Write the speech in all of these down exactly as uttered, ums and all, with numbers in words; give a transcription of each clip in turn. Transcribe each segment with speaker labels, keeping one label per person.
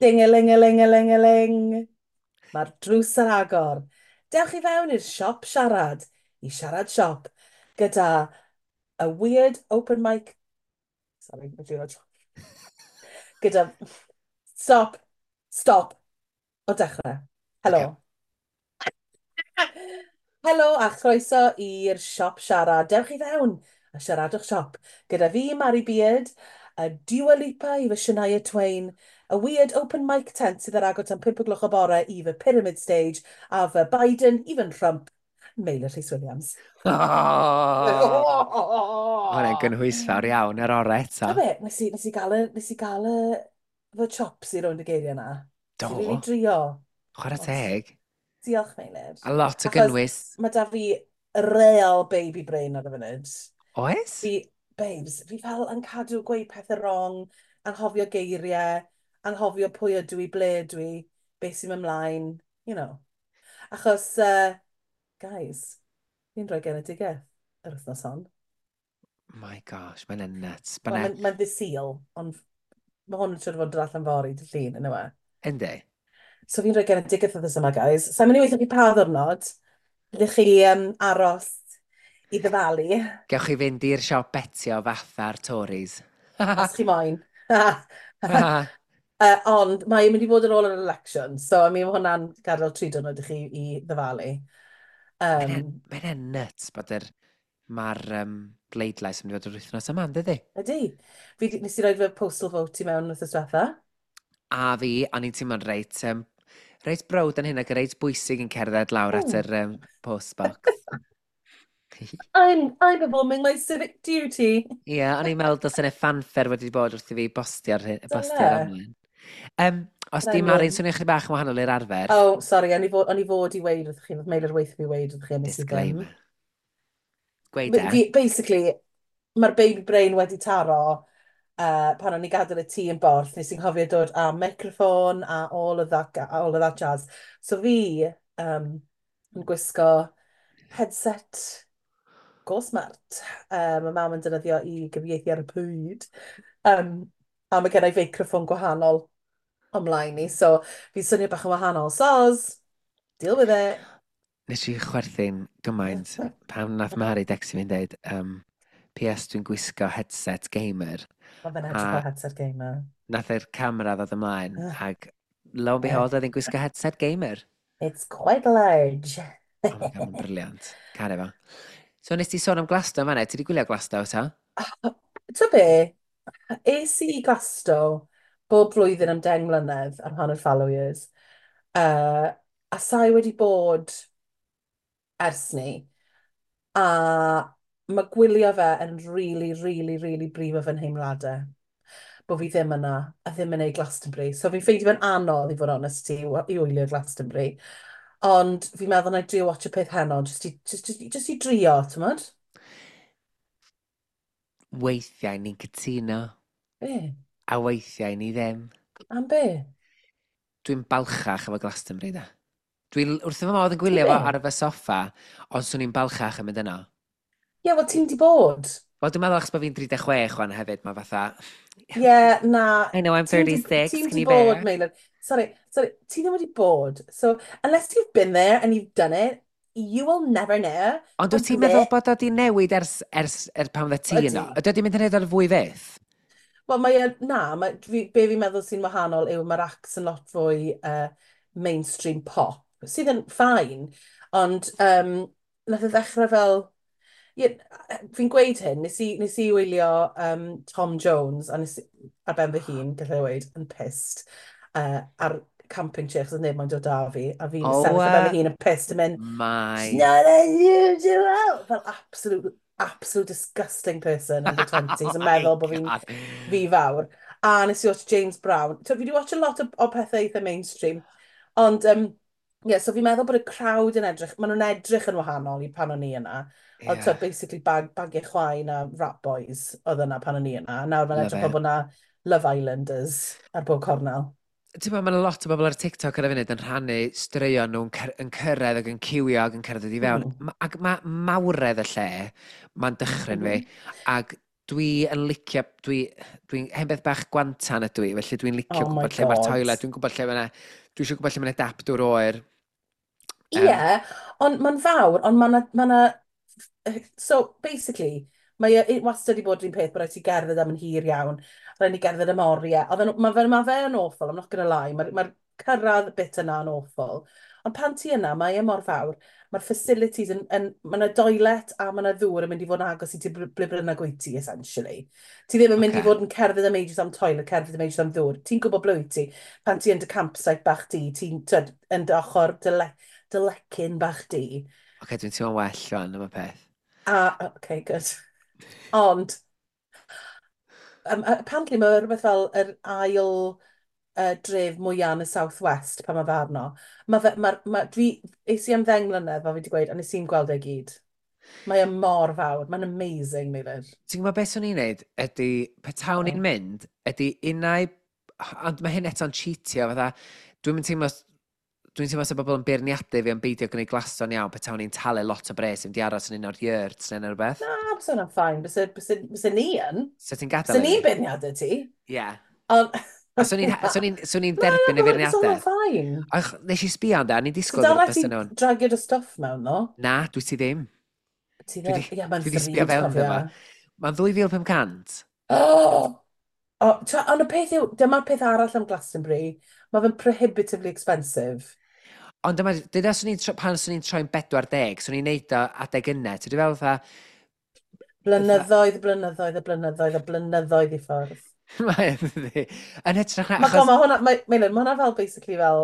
Speaker 1: Ding-a-ling-a-ling-a-ling-a-ling. Mae'r drws ar agor. Dewch i fewn i'r siop siarad, i siarad siop, gyda a weird open mic. Sorry, ma' dwi'n. Gyda... Stop. Stop. O dechrau. Helo.
Speaker 2: Okay.
Speaker 1: Helo a chroeso i'r siop siarad. Dewch i fewn a siaradwch siop. Gyda fi, Mari Beard, a Dua Lipa i fy Shania Twain, a weird open mic tent sydd ar agor tan pump o gloch o bore i fy Pyramid Stage, a fy Biden, even Trump, Meilir Rhys Williams.
Speaker 2: Oh! Hwna'n gynhwysfawr iawn ar orau eto.
Speaker 1: Ta be, nes i, nes i gael y, nes i gael y, fy chops i rownd y geiriau yna.
Speaker 2: Do.
Speaker 1: Nes i really drio.
Speaker 2: Chwarae
Speaker 1: Ond-
Speaker 2: teg.
Speaker 1: Diolch, Meilir.
Speaker 2: A lot o
Speaker 1: Achos-
Speaker 2: gynnwys.
Speaker 1: Mae da fi real baby brain ar y funud.
Speaker 2: Oes?
Speaker 1: Fi, babes, fi fel yn cadw gweud pethau wrong, anghofio geiriau, anghofio pwy ydw i, ble ydw i, beth sy'n mynd ymlaen, you know. Achos, uh, guys, fi'n rhoi genedigaeth yr wythnos hon.
Speaker 2: My gosh, mae'n nuts.
Speaker 1: Wel,
Speaker 2: Mae'n
Speaker 1: Mae'n mae ddydd Sul, ond mae hwn yn siŵr o fod yn dod allan fory, dydd Llun, yn yw e.
Speaker 2: Yndi.
Speaker 1: So fi'n rhoi genedigaeth wythnos yma, guys. Sa'n mynd i weithio chi pa ddwrnod. Ydych chi um, aros i ddyfalu,
Speaker 2: Gewch chi fynd i'r siop betio fatha'r Tories.
Speaker 1: Os chi moyn. uh, ond mae'n mynd i fod ar ôl yr election, so I mean, mae hwnna'n gadael tri diwrnod i chi i ddyfalu. Um,
Speaker 2: Mae'n nuts bod yr... Mae'r um, bleidlais yn mynd i fod yr wythnos yma, ynddi?
Speaker 1: Ydy. Fi, di- nes i roi fy postal vote i mewn wythnos diwetha.
Speaker 2: A fi, o'n i'n teimlo'n reit, um, reit browd yn hyn ac reit bwysig yn cerdded lawr at
Speaker 1: Ooh.
Speaker 2: yr um, post box.
Speaker 1: I'm, I'm performing my civic duty.
Speaker 2: Ie, yeah, o'n i'n meddwl dylse yna fanfare wedi bod wrth i fi bostio'r
Speaker 1: Dyle.
Speaker 2: bostio'r amlen. Um, os di
Speaker 1: Byddai'n
Speaker 2: Mari'n
Speaker 1: wyn.
Speaker 2: swnio chydig bach yn wahanol i'r arfer,
Speaker 1: Oh, sorry, o'n i fod, o'n i fod i weud wrth chi, oedd Meilir weithio fi weud wrth chi, nes i ddim.
Speaker 2: Disclaimer. Gweud e.
Speaker 1: Fi, basically, mae'r baby brain wedi taro uh, pan o'n i gadael y tŷ yn Borth, nes i'n cofio dod â microphone a all of that, all of that jazz. So fi um, yn gwisgo headset go smart. Uh, mae mam yn defnyddio i gyfieithu ar y pryd. Um, a mae gen i feicroffon gwahanol ymlaen ni, so fi'n swnio bach yn wahanol. Soz, deal with it.
Speaker 2: Nes i chwerthin gymaint pan nath Mari decstio fi'n deud, um, P S dwi'n gwisgo headset gamer.
Speaker 1: Mae fe'n edrych
Speaker 2: A-
Speaker 1: fel headset gamer.
Speaker 2: Nath yr camera ddod ymlaen
Speaker 1: Ah.
Speaker 2: ac lo and behold, oedd hi'n gwisgo headset gamer.
Speaker 1: It's quite large.
Speaker 2: Oh my God, mae'n brilliant. Caru fo. So nes ti sôn am Glasto fan'na, ti wedi gwylio Glasto ta?
Speaker 1: Ti'n be, es i Glasto bob blwyddyn am deng mlynedd ar hanner fallow years. Uh, a sai wedi bod ers ni. A mae gwylio fe yn really, really, really brifo fy nheimladau. Bod fi ddim yna, a ddim yn neud Glastonbury. So fi'n ffeindio fe'n anodd, i fod honest ti, i wylio Glastonbury. Ond fi'n meddwl na i drio watch y peth heno, just i, just, just, just i drio, ti'n modd?
Speaker 2: Weithiau ni'n cytuno,
Speaker 1: Be?
Speaker 2: a weithiau ni ddim.
Speaker 1: Am be?
Speaker 2: Dwi'n balchach efo Glastonbury da. Dwi'n wrth fy modd yn
Speaker 1: Ti
Speaker 2: gwylio fo
Speaker 1: be?
Speaker 2: ar fy soffa, ond swn i'n balchach yn mynd yno.
Speaker 1: Ie, yeah, wel ti'n di bod.
Speaker 2: Wel, dwi'n meddwl achos bod fi'n tri deg chwech wan hefyd, mae fatha.
Speaker 1: Ie, yeah, na.
Speaker 2: I know I'm
Speaker 1: Ti'n di-
Speaker 2: thirty-six,
Speaker 1: Ti'n
Speaker 2: can
Speaker 1: di
Speaker 2: you
Speaker 1: bod,
Speaker 2: bear?
Speaker 1: Meilir. Sorry, sorry, ti ddim wedi bod. So, unless you've been there and you've done it, you will never know.
Speaker 2: Ond wyt ti'n
Speaker 1: Ond
Speaker 2: meddwl
Speaker 1: be?
Speaker 2: bod o di newid ers, ers, er pan fydde ti yno?
Speaker 1: Ydi.
Speaker 2: Ydy o di mynd yn neud o'r fwy fyth?
Speaker 1: Wel, mae e, na, mae, fi, be fi'n meddwl sy'n wahanol yw mae'r acts yn lot fwy uh, mainstream pop, sydd yn fine, ond um, nath e ddechrau fel. Ie, fi'n gweud hyn, nes i, nes i wylio um, Tom Jones, a nes i, ar ben fy hun, gallai weud, yn pissed, uh, ar camping chair, chos oedd neb moyn dod â fi, a fi'n
Speaker 2: Oh,
Speaker 1: sefyll ar ben
Speaker 2: uh,
Speaker 1: fy hun yn pissed yn mynd,
Speaker 2: My...
Speaker 1: "She's not unusual!" Fel absolute, absolute disgusting person in the twenties, yn meddwl bod fi'n
Speaker 2: God.
Speaker 1: fi fawr. A nes i watch James Brown. So, fi wedi watch a lot o, o pethau eitha mainstream. Ond, um, yeah, so fi'n meddwl bod y crowd yn edrych, maen nhw'n edrych yn wahanol i pan o'n i yna. Ond
Speaker 2: Yeah.
Speaker 1: so, basically bag, bagiau chwain a rat boys oedd yna pan o'n i yna. A nawr mae'n
Speaker 2: Love
Speaker 1: edrych
Speaker 2: it.
Speaker 1: fel bod yna Love Islanders ar bob cornel.
Speaker 2: Ti'n meddwl, mae'n lot o bobl ar TikTok ar y funud yn rhannu straeon nhw'n cyr yn cyrraedd ac yn ciwio ac yn cyrraedd i fewn.
Speaker 1: Mm.
Speaker 2: Mm. Ac mae mawredd y lle, mae'n dychryn fi.
Speaker 1: Mhm.
Speaker 2: Ac Dwi yn licio, dwi, dwi'n hen beth bach gwantan ydw i, felly dwi'n licio
Speaker 1: Oh my
Speaker 2: gwybod lle mae'r
Speaker 1: God.
Speaker 2: toilet, dwi'n gwybod lle mae'na, dwi eisiau gwybod lle mae'na dap dŵr oer.
Speaker 1: Ie,
Speaker 2: Um,
Speaker 1: yeah, ond mae'n fawr, ond mae'n ma na, so, basically, mae e wastad wedi bod yr un peth, bod rhaid ti gerdded am yn hir iawn, rhaid ni gerdded am oriau. Oedd e'n- Mae fe, ma fe yn awful, I'm not gonna lie, mae'r ma cyrraedd bit yna yn awful. Ond pan ti yna, mae e mor fawr, mae'r facilities yn, yn mae yna toilet a mae yna ddŵr yn mynd i fod yn agos i ti ble ble bynnag wyt ti, essentially. Ti ddim yn mynd
Speaker 2: Ocê.
Speaker 1: i fod yn cerdded am ages am toilet, cerdded am ages am ddŵr. Ti'n gwybod ble wyt ti. Pan ti yn dy campsite bach di, ti'n tyd, yn dy ochr dy, le, dy lecyn bach di.
Speaker 2: Oce, dwi'n teimlo'n well rwan am y peth.
Speaker 1: A, okay, good. Ond, um, apparently mae rhywbeth fel yr ail uh, dref mwyaf yn y South West pan mae fe arno. Mae fe, ma, ma, dwi, es i am ddeng mlynedd, fel fi wedi gweud, a nes i'n gweld e gyd. Mae e mor fawr, mae'n amazing, Meilir.
Speaker 2: Ti'n gwybod beth swn i'n neud? Ydy, petawn
Speaker 1: Oh.
Speaker 2: i'n mynd, ydy unau. Ond mae hyn eto'n cheatio, fatha. Dwi'n mynd teimlo... Dwi'n teimlo sa bobl yn beirniadu fi am beidio gwneud Glasto'n iawn, petawn i'n talu lot o bres i mynd i aros yn un o'r yurts neu rhywbeth.
Speaker 1: Na, byse hwnna'n fine, byse, byse, byse ni yn.
Speaker 2: So ti'n gadael
Speaker 1: Byse
Speaker 2: i
Speaker 1: ni'n
Speaker 2: fi?
Speaker 1: beirniadu ti.
Speaker 2: Ie.
Speaker 1: Ond
Speaker 2: A swn i'n swn i'n swn i'n
Speaker 1: Na,
Speaker 2: derbyn y
Speaker 1: byse hwnna'n
Speaker 2: feirniadaeth.
Speaker 1: fine.
Speaker 2: Ach, nes i sbio amdano, ni'n
Speaker 1: So
Speaker 2: disgwyl
Speaker 1: dal
Speaker 2: rhywbeth
Speaker 1: ti
Speaker 2: bysa nhw'n.
Speaker 1: dragio dy stwff mewn, no?
Speaker 2: Na, dwi ti ddim.
Speaker 1: Ti
Speaker 2: Dwi
Speaker 1: ddim.
Speaker 2: di,
Speaker 1: Ie, mae'n
Speaker 2: dwi di sbio
Speaker 1: ddrud,
Speaker 2: fewn iddo
Speaker 1: cofia.
Speaker 2: fo. Mae'n ddwy fil pum cant.
Speaker 1: Oh! Oh, tra, ond y peth yw, dyma'r peth arall am Glastonbury, mae fe'n prohibitively expensive.
Speaker 2: Ond dyma, dyna swn i'n, tro- pan swn i'n troi'n bedwar deg, swn i'n neud o adeg yna. Ti'n fel fatha,
Speaker 1: Blynyddoedd, blynyddoedd, a blynyddoedd, a blynyddoedd i ffwrdd.
Speaker 2: Mae'n dydi. Yn hytrach na,
Speaker 1: Mae
Speaker 2: achos
Speaker 1: ma hwnna, mae, Meilir, ma hwnna fel basically fel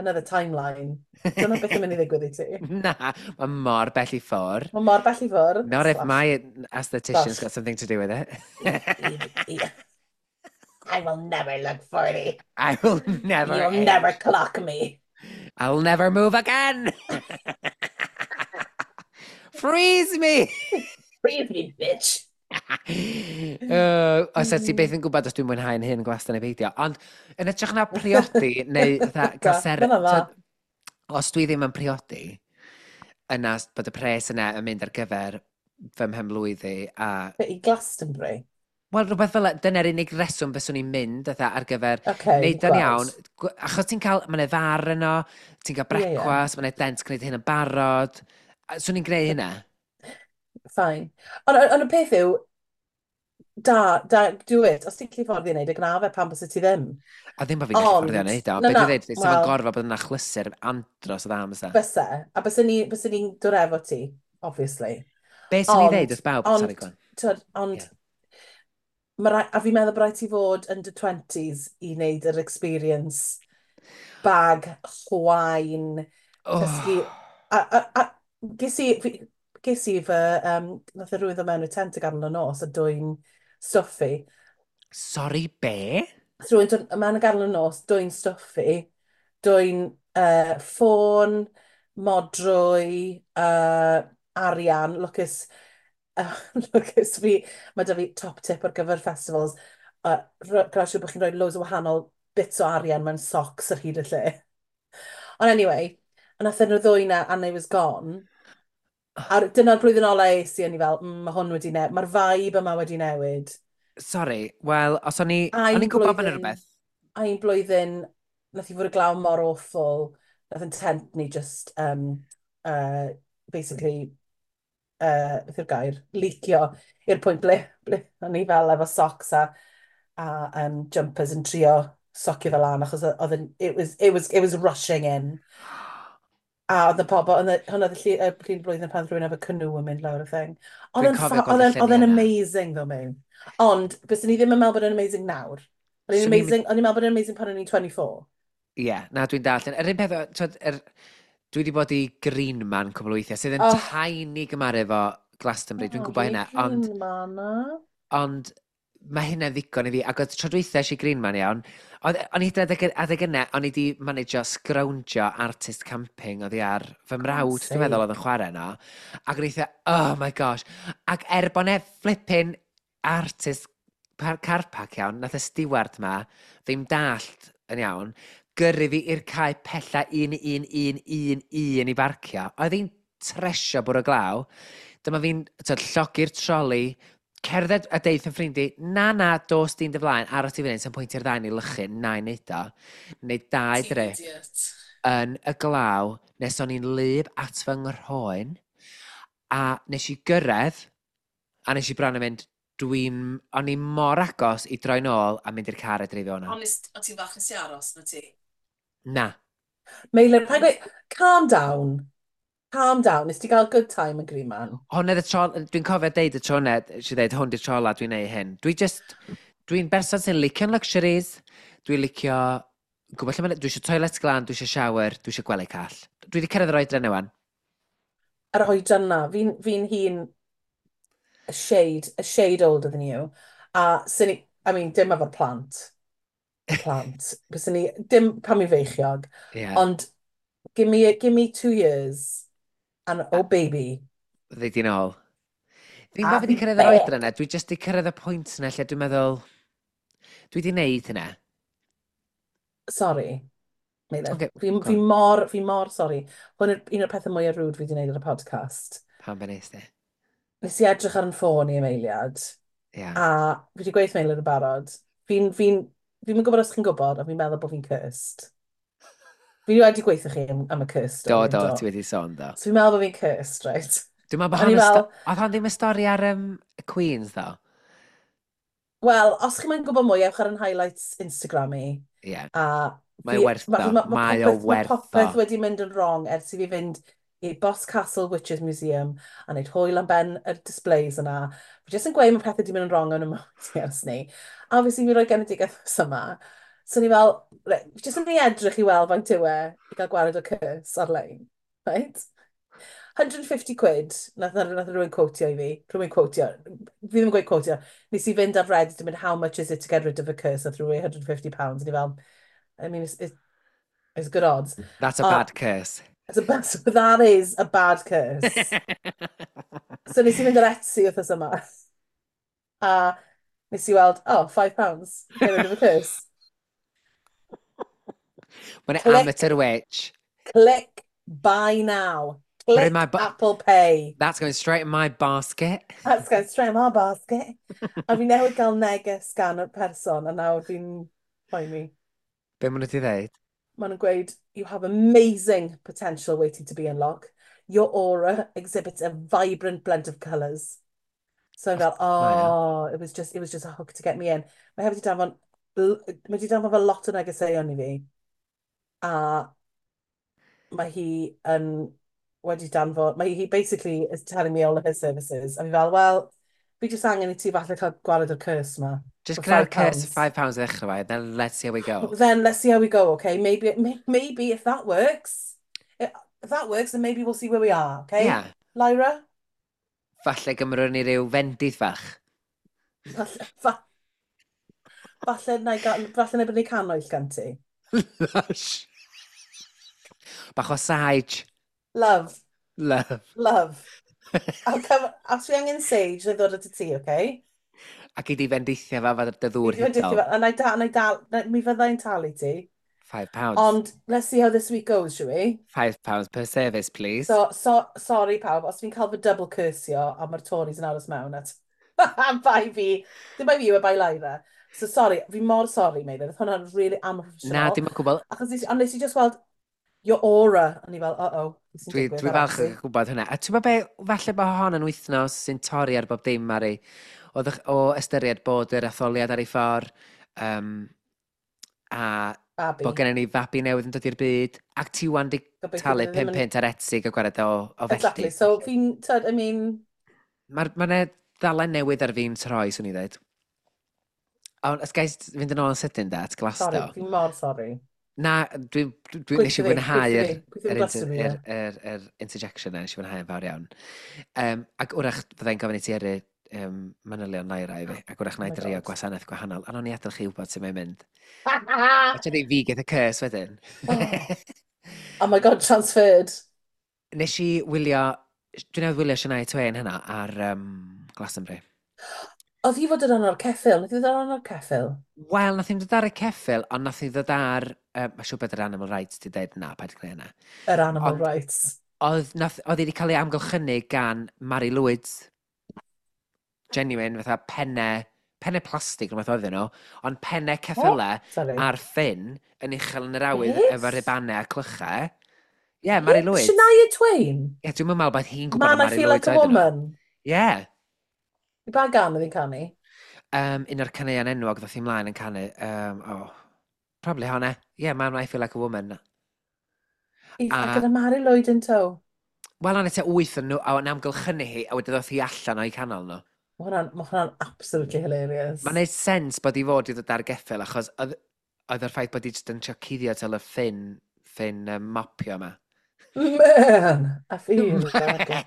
Speaker 1: another timeline. Dyna beth yn mynd i ddigwydd i ti.
Speaker 2: Na, mae mor bell i ffwrdd.
Speaker 1: Mae mor bell i ffwrdd.
Speaker 2: Not if
Speaker 1: Slash.
Speaker 2: my aesthetician's
Speaker 1: Slash.
Speaker 2: got something to do with it.
Speaker 1: I, I, I will never look forty.
Speaker 2: I will never
Speaker 1: You'll
Speaker 2: age.
Speaker 1: never clock me.
Speaker 2: I'll never move again. Freeze me!
Speaker 1: Freeze me, bitch.
Speaker 2: uh, os ti byth yn gwybod os dwi'n mwynhau'n hyn gwastad neu beidio. Ond yn hytrach na priodi neu fatha cael
Speaker 1: Da,
Speaker 2: ser.
Speaker 1: ma' hwnna'n dda.
Speaker 2: T'od, os dwi ddim yn priodi, yna bod y pres yna yn mynd ar gyfer fy mhenblwyddi a
Speaker 1: Be, i Glastonbury?
Speaker 2: Wel, rhywbeth fel 'na, dyna'r unig reswm fyswn i'n mynd fatha, ar gyfer
Speaker 1: Okay,
Speaker 2: neud o'n
Speaker 1: gweld.
Speaker 2: iawn. Gw- Achos ti'n cael, mae'n far yno, ti'n cael
Speaker 1: Ie, ie.
Speaker 2: brecwast, mae'n dent gwneud hyn yn barod. A swn i'n gwneud hynna.
Speaker 1: Fine. Ond ond y peth yw, da, da, do it. Os ti'n gallu fforddio wneud y gna fe, pam byse ti ddim?
Speaker 2: A ddim bod fi'n gallu fforddio
Speaker 1: Ond,
Speaker 2: wneud o.
Speaker 1: na,
Speaker 2: Be
Speaker 1: na,
Speaker 2: dwi'n dweud, sef yn
Speaker 1: wel,
Speaker 2: gorfod bod yn achlysur andros o dda am fysa.
Speaker 1: Byse. A byse ni, byse ni'n dod efo ti, obviously.
Speaker 2: Be swn i'n dweud
Speaker 1: Ond,
Speaker 2: wrth bawb?
Speaker 1: ond,
Speaker 2: Sorry, go on.
Speaker 1: Twyd, ond,
Speaker 2: Ie.
Speaker 1: ma rai, a fi'n meddwl bod rhaid ti fod yn dy twenties i wneud yr experience bag, chwain, cysgu.
Speaker 2: Oh.
Speaker 1: A, a, a ges i, fi, ges i fy, um, nath y rhywun ddod mewn i tent y ganol y nos a dwyn stwff fi.
Speaker 2: Sorry, be?
Speaker 1: Nath rhywun dod mewn y ganol y nos, dwyn stwff fi, dwyn uh, ffôn, modrwy, uh, arian, lwcus, uh, lwcus fi, mae da fi top tip ar gyfer festivals, uh, gwna siŵr bod chi'n rhoi loads o wahanol bits o arian mewn socks ar hyd y lle. Ond anyway, a nath nhw ddwy na, and I was gone. A dyna'r blwyddyn ola es i, o'n i fel, mm, mae hwn wedi newid, mae'r vibe yma wedi newid.
Speaker 2: Sorry, wel, os o'n i
Speaker 1: A
Speaker 2: o'n
Speaker 1: un
Speaker 2: i'n gwybod bod yna
Speaker 1: blwyddyn,
Speaker 2: rhywbeth.
Speaker 1: a un blwyddyn, nath i fod y glaw mor awful, nath yn tent ni just, um, uh, basically, uh, beth yw'r gair, leakio i'r pwynt ble, ble o'n i fel efo socks a, a um, jumpers yn trio socio fel lan, achos oedd yn, it was, it was, it was rushing in. A oedd y pobl, oedd y- hwnna oedd y llu- y llun blwyddyn pan rhywun efo canoe yn mynd lawr y thing. Oedd
Speaker 2: Dwi'n
Speaker 1: yn
Speaker 2: cofio
Speaker 1: ffa-
Speaker 2: gweld
Speaker 1: oedd
Speaker 2: y
Speaker 1: yn oedd
Speaker 2: lluniau
Speaker 1: yn
Speaker 2: yna.
Speaker 1: amazing though, Mewn. Ond, byswn ni ddim yn meddwl bod yn amazing nawr. Oedd yn
Speaker 2: Swn i'n mynd
Speaker 1: amazing, o'n i'n meddwl bod yn amazing pan o'n i'n twenty-four.
Speaker 2: Ie, yeah, na, dwi'n dallt. Yr un peth, twyd, er, dwi wedi bod i Green Man cwbl o weithiau, sydd yn
Speaker 1: Oh.
Speaker 2: tiny gymaru efo Glastonbury, dwi'n gwybod hynna, ond,
Speaker 1: Green Man, na.
Speaker 2: Ond mae hynna'n ddigon i fi, ac oedd tro dwytha eisiau Green Man iawn, oedd, o'n i hyd yn oed adeg, adeg yna, o'n i wedi managio scroungio artist camping oddi ar fy mrawd, dwi'n meddwl oedd yn chwarae yno, ac o'n i eitha, "Oh my gosh," ac er bod 'ne flipping artist par car park iawn, nath y steward ma ddim dallt yn iawn, gyrru fi i'r cae pella un, un, un, un, un i barcio. Oedd hi'n tresio bwrw glaw. Dyma fi'n tyd, llogi'r troli, Cerdded a deud yn ffrind i, "Na, na, dos di'n dy flaen, aros i fyny, sy'n pwynt i'r ddau ni lychu, na i neud o." Neud dau
Speaker 1: Ti'n
Speaker 2: drip
Speaker 1: idiot.
Speaker 2: yn y glaw, nes o'n i'n lyb at fy nghroen, a nes i gyrraedd, a nes i bron yn mynd, dwi'n, o'n i mor agos i droi nôl a mynd i'r car a dreifio o'na.
Speaker 1: Honest, o ti'n falch nes i aros, na ti?
Speaker 2: Na.
Speaker 1: Meilir, paid gweud, calm down. Calm down. Nes ti gael good time yn Green Man?
Speaker 2: Hwn oedd y tro, dwi'n cofio deud y tro yna, eisiau deud, hwn di'r tro ola dwi'n neud hyn. Dwi just, dwi'n berson sy'n licio'n luxuries, dwi'n licio, gwybod lle ma', dwi eisiau toilet glan, dwi eisiau shower, dwi eisiau gwely call. Dwi wedi cyrraedd yr oedran yna wan.
Speaker 1: Yr oedran na, fi'n fi hun a shade, a shade older than you. A sy'n ni, I mean, dim efo'r plant. Plant. Byswn ni, dim pan mi feichiog.
Speaker 2: Yeah.
Speaker 1: Ond give me, give me two years and oh baby.
Speaker 2: Ddeud i'n ôl. Ddim
Speaker 1: I'll
Speaker 2: bod fi wedi
Speaker 1: be
Speaker 2: cyrraedd yr
Speaker 1: back.
Speaker 2: oedran yna, dwi just wedi cyrraedd y pwynt yna lle dwi'n meddwl, dwi wedi neud hynna.
Speaker 1: Sorry. Meilir.
Speaker 2: Ocê,
Speaker 1: Fi,
Speaker 2: go
Speaker 1: fi
Speaker 2: on.
Speaker 1: mor, fi mor sorry. Hwn yw'r un o'r pethau mwyaf rude fi wedi gwneud ar y podcast.
Speaker 2: Pam be nes di?
Speaker 1: Nes i edrych ar yn ffôn i am eiliad,
Speaker 2: Ia.
Speaker 1: a fi wedi gweud Meilir yn barod. Fi'n, fi'n, fi'n gwybod os chi'n gwybod, ond fi'n meddwl bod fi'n cursed. Fi wedi gweithio chi am, am y curse
Speaker 2: Do,
Speaker 1: story,
Speaker 2: do,
Speaker 1: yn
Speaker 2: ti wedi sôn, do.
Speaker 1: So fi'n meddwl bod fi'n cursed, right?
Speaker 2: Dwi'n meddwl bod
Speaker 1: O'n i
Speaker 2: hon yn
Speaker 1: fel,
Speaker 2: sto- oedd hon ddim y stori ar um, y Queens, ddo?
Speaker 1: Wel, os chi'n moyn gwybod mwy, ewch ar yn highlights Instagram i.
Speaker 2: Ie. Yeah.
Speaker 1: A
Speaker 2: Mae
Speaker 1: fi-
Speaker 2: werth
Speaker 1: ma-
Speaker 2: o.
Speaker 1: ma- ma'
Speaker 2: Mae o
Speaker 1: popeth- ma'
Speaker 2: werth o.
Speaker 1: popeth wedi mynd yn wrong ers i fi fynd i Boscastle Witches Museum a wneud hwyl am ben y displays yna. Fi jyst yn gweud mae pethau wedi mynd yn wrong yn y mywyd i ers ni. A obviously mi roi genedigaeth wrth yma. So ni fel, reit, fi jyst yn mynd i edrych i weld faint yw e i gael gwared o curse ar-lein. Right? one hundred and fifty quid, nath, nath, nath rhywun quotio i fi, rhywun quotio, fi ddim yn gweud quotio, nes i fynd ar Reddit yn mynd, "How much is it to get rid of a curse?" Nath rhywun one hundred and fifty pounds, a ni fel, I mean, it's, it's, it's good odds.
Speaker 2: That's a
Speaker 1: A-
Speaker 2: bad curse.
Speaker 1: It's a bad, that is a bad curse. So nes i fynd ar Etsy wythnos yma. A nes i weld, oh, five pounds, get rid of a curse.
Speaker 2: Mae'n
Speaker 1: Click.
Speaker 2: amateur witch.
Speaker 1: Click buy now.
Speaker 2: Put in
Speaker 1: Click
Speaker 2: my bu-
Speaker 1: Apple Pay.
Speaker 2: That's going straight in my basket.
Speaker 1: That's going straight in my basket. A fi newydd gael neges gan y person, a nawr fi'n poeni.
Speaker 2: Be maen nhw wedi dweud?
Speaker 1: Maen nhw'n gweud, "You have amazing potential waiting to be unlocked. Your aura exhibits a vibrant blend of colours." So I'm fel,
Speaker 2: Mae o.
Speaker 1: oh, it was just, it was just a hook to get me in. Mae hefyd wedi danfon, mae wedi danfon fel lot o negeseuon i fi. A mae hi yn wedi danfon, mae hi basically is telling me all of her services. A fi fel, well, fi jyst angen i ti falle cael gwared o'r curse ma.
Speaker 2: Just
Speaker 1: For
Speaker 2: gwna'r
Speaker 1: five
Speaker 2: curse
Speaker 1: pounds.
Speaker 2: five pounds i ddechrau fe, then let's see how we go.
Speaker 1: Then let's see how we go, okay? Maybe, may- maybe if that works, if that works, then maybe we'll see where we are, okay?
Speaker 2: Yeah.
Speaker 1: Lyra?
Speaker 2: Falle gymrwn ni ryw fendith fach.
Speaker 1: Falle, fa, falle na i gael, falle na i brynu canwyll gan ti.
Speaker 2: Lush. Bach o sage.
Speaker 1: Love,
Speaker 2: Love.
Speaker 1: Love. I'll come, os fi angen sage, na i ddod at y ti, okay?
Speaker 2: Ac i di fendithio fe fod dy ddŵr
Speaker 1: Fi 'di fendithio
Speaker 2: hudol.
Speaker 1: fe, a na i da, na i dal, na, mi fyddai'n talu ti.
Speaker 2: Five pounds.
Speaker 1: Ond, let's see how this week goes, shall we?
Speaker 2: Five pounds per service, please.
Speaker 1: So, so, sorry pawb, os fi'n cael fy double cursio a mae'r Tories yn aros mewn at bai fi, dim bai fi yw e bai Lyra. So sorry, fi mor sorry, Meilir, oedd hwnna'n really amhroffesiynol.
Speaker 2: Na, dim yn gwybod.
Speaker 1: Achos nes, ond nes i just weld your aura, a ni fel, uh-oh, beth sy'n
Speaker 2: Dwi,
Speaker 1: digwydd
Speaker 2: dwi
Speaker 1: ar
Speaker 2: falch
Speaker 1: Etsy?
Speaker 2: yn gwybod hwnna. A ti'n gwybod be, falle bod hon yn wythnos sy'n torri ar bob dim, Mari. O, ddech- o ystyried bod yr etholiad ar ei ffordd, um, a
Speaker 1: Babi.
Speaker 2: bod gennym ni fabi newydd yn dod i'r byd, ac ti wan di
Speaker 1: Gobeithio
Speaker 2: talu
Speaker 1: bydd e ddim
Speaker 2: pum
Speaker 1: yn-
Speaker 2: punt ar Etsy gael gwared o, o felly.
Speaker 1: Exactly, so fi'n, tyd, I mean,
Speaker 2: Mae'r ma 'na ddalen newydd ar fi'n troi, swn i ddweud. Ond, os gais fynd yn ôl yn sydyn da, at
Speaker 1: sorry,
Speaker 2: Glasto.
Speaker 1: fi'n mor sorry.
Speaker 2: Na, dwi, dwi, dwi nes i
Speaker 1: Gweithio fi,
Speaker 2: fwynhau
Speaker 1: gweithio
Speaker 2: yr,
Speaker 1: fi, gweithio
Speaker 2: yr,
Speaker 1: fi
Speaker 2: inter,
Speaker 1: Glastonbury,
Speaker 2: yr,
Speaker 1: ie.
Speaker 2: yr, yr interjection na, nes i fwynhau yn fawr iawn. Um, ac wrach fyddai'n gofyn i ti yrru um, manylion Lyra i fi, ac wrach na
Speaker 1: Oh
Speaker 2: i
Speaker 1: my
Speaker 2: drio
Speaker 1: God.
Speaker 2: gwasanaeth gwahanol. A nawn ni adael chi wybod sut mae'n mynd. A ti'n dweud fi get y curse wedyn.
Speaker 1: Oh. Oh my God, transferred.
Speaker 2: Nes i wylio, dwi newydd wylio Shania Twain hynna ar um, Glastonbury.
Speaker 1: Oedd hi fod yn rhan o'r ceffyl? Nath hi fod yn rhan o'r ceffyl?
Speaker 2: Wel, nath hi'm dod ar y ceffyl, ond nath hi ddod ar... Uh, Mae'n siŵr bod yr animal rights di dweud na, paid gwneud hynna.
Speaker 1: Yr animal
Speaker 2: Ond-
Speaker 1: rights.
Speaker 2: Oedd, nath, oedd hi wedi cael ei amgylchynu gan Mari Lwyd. Genuine, fatha penne, penne plastig rhywbeth oedden nhw, ond penne
Speaker 1: Oh,
Speaker 2: ceffylau
Speaker 1: sorry.
Speaker 2: ar ffyn yn uchel yn yr awyr
Speaker 1: Beth?
Speaker 2: efo ribannau a clychau. Ie, yeah,
Speaker 1: Hi?
Speaker 2: Mari Lwyd.
Speaker 1: Shania Twain?
Speaker 2: Ie, yeah, dwi'n meddwl bod hi'n gwybod
Speaker 1: Man,
Speaker 2: am
Speaker 1: I
Speaker 2: Mari
Speaker 1: Feel
Speaker 2: Lwyd
Speaker 1: Like a
Speaker 2: oedden nhw.
Speaker 1: Woman.
Speaker 2: Ie. Yeah.
Speaker 1: I ba gan oedd hi'n canu?
Speaker 2: Um, un o'r caneuon enwog ddoth i mlaen yn canu. Um, oh, probably honna. Ie, yeah, Man, I Feel Like a Woman.
Speaker 1: I, a
Speaker 2: A,
Speaker 1: gyda Mari Lloyd yn tow.
Speaker 2: wel, o'n tua wyth yn nhw, a o'n amgylchynu hi, a wedyn ddoth hi allan o'i canol nhw.
Speaker 1: Mae hwnna'n ma hwnna'n absolutely hilarious.
Speaker 2: Mae'n neud sens bod i fod i ddod ar geffyl, achos oedd, oedd yr ffaith bod i jyst yn trio cuddio tel y ffyn, ffyn um, mopio yma.
Speaker 1: Man, I feel like a,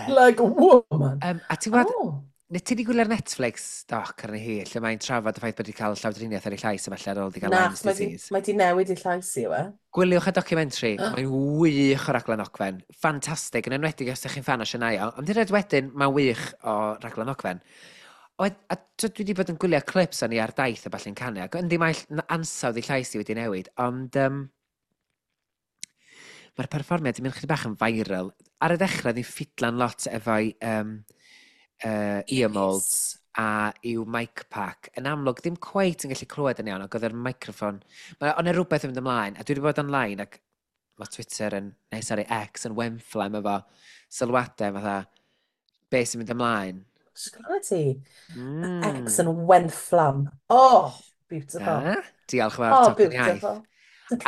Speaker 1: like a woman.
Speaker 2: um, a ti'n gwybod,
Speaker 1: Oh.
Speaker 2: neu ti wedi gwylio'r Netflix doc arni hi, lle mae'n trafod y ffaith bod wedi cael llawdriniaeth ar ei llais a falle ar ôl wedi cael
Speaker 1: Na,
Speaker 2: Lyme's
Speaker 1: achos mae di,
Speaker 2: disease.
Speaker 1: mae di newid ei llais i, yw e?
Speaker 2: Gwyliwch y documentary, mae'n wych o raglen ogfen. Ffantastig, yn enwedig os ydych chi'n fan o Shania, ond hyd yn oed wedyn, mae'n wych o raglen ogfen. Oed, a t'wod, dwi wedi bod yn gwylio clips o'n i ar daith a ballu'n canu, ac yndi mae ll- ansawdd ei llais i wedi newid, ond um, mae'r perfformiad wedi mynd chydig bach yn viral. Ar y dechrau, oedd hi'n ffidlan lot efo'i um, uh, ear molds a i'w mic pack. Yn amlwg, ddim cweit yn gallu clywed yn iawn, ac oedd yr microffon... Mae o'n rhywbeth yn mynd ymlaen, a dwi wedi bod online, ac mae Twitter yn, neu sorry, X yn wenfflam efo sylwadau fatha, be sy'n mynd ymlaen.
Speaker 1: Sgwrdd ti?
Speaker 2: Mm.
Speaker 1: X yn wenfflam. Oh, beautiful.
Speaker 2: Da, diolch yn fawr,
Speaker 1: Oh,
Speaker 2: tocyn iaith.
Speaker 1: beautiful.
Speaker 2: A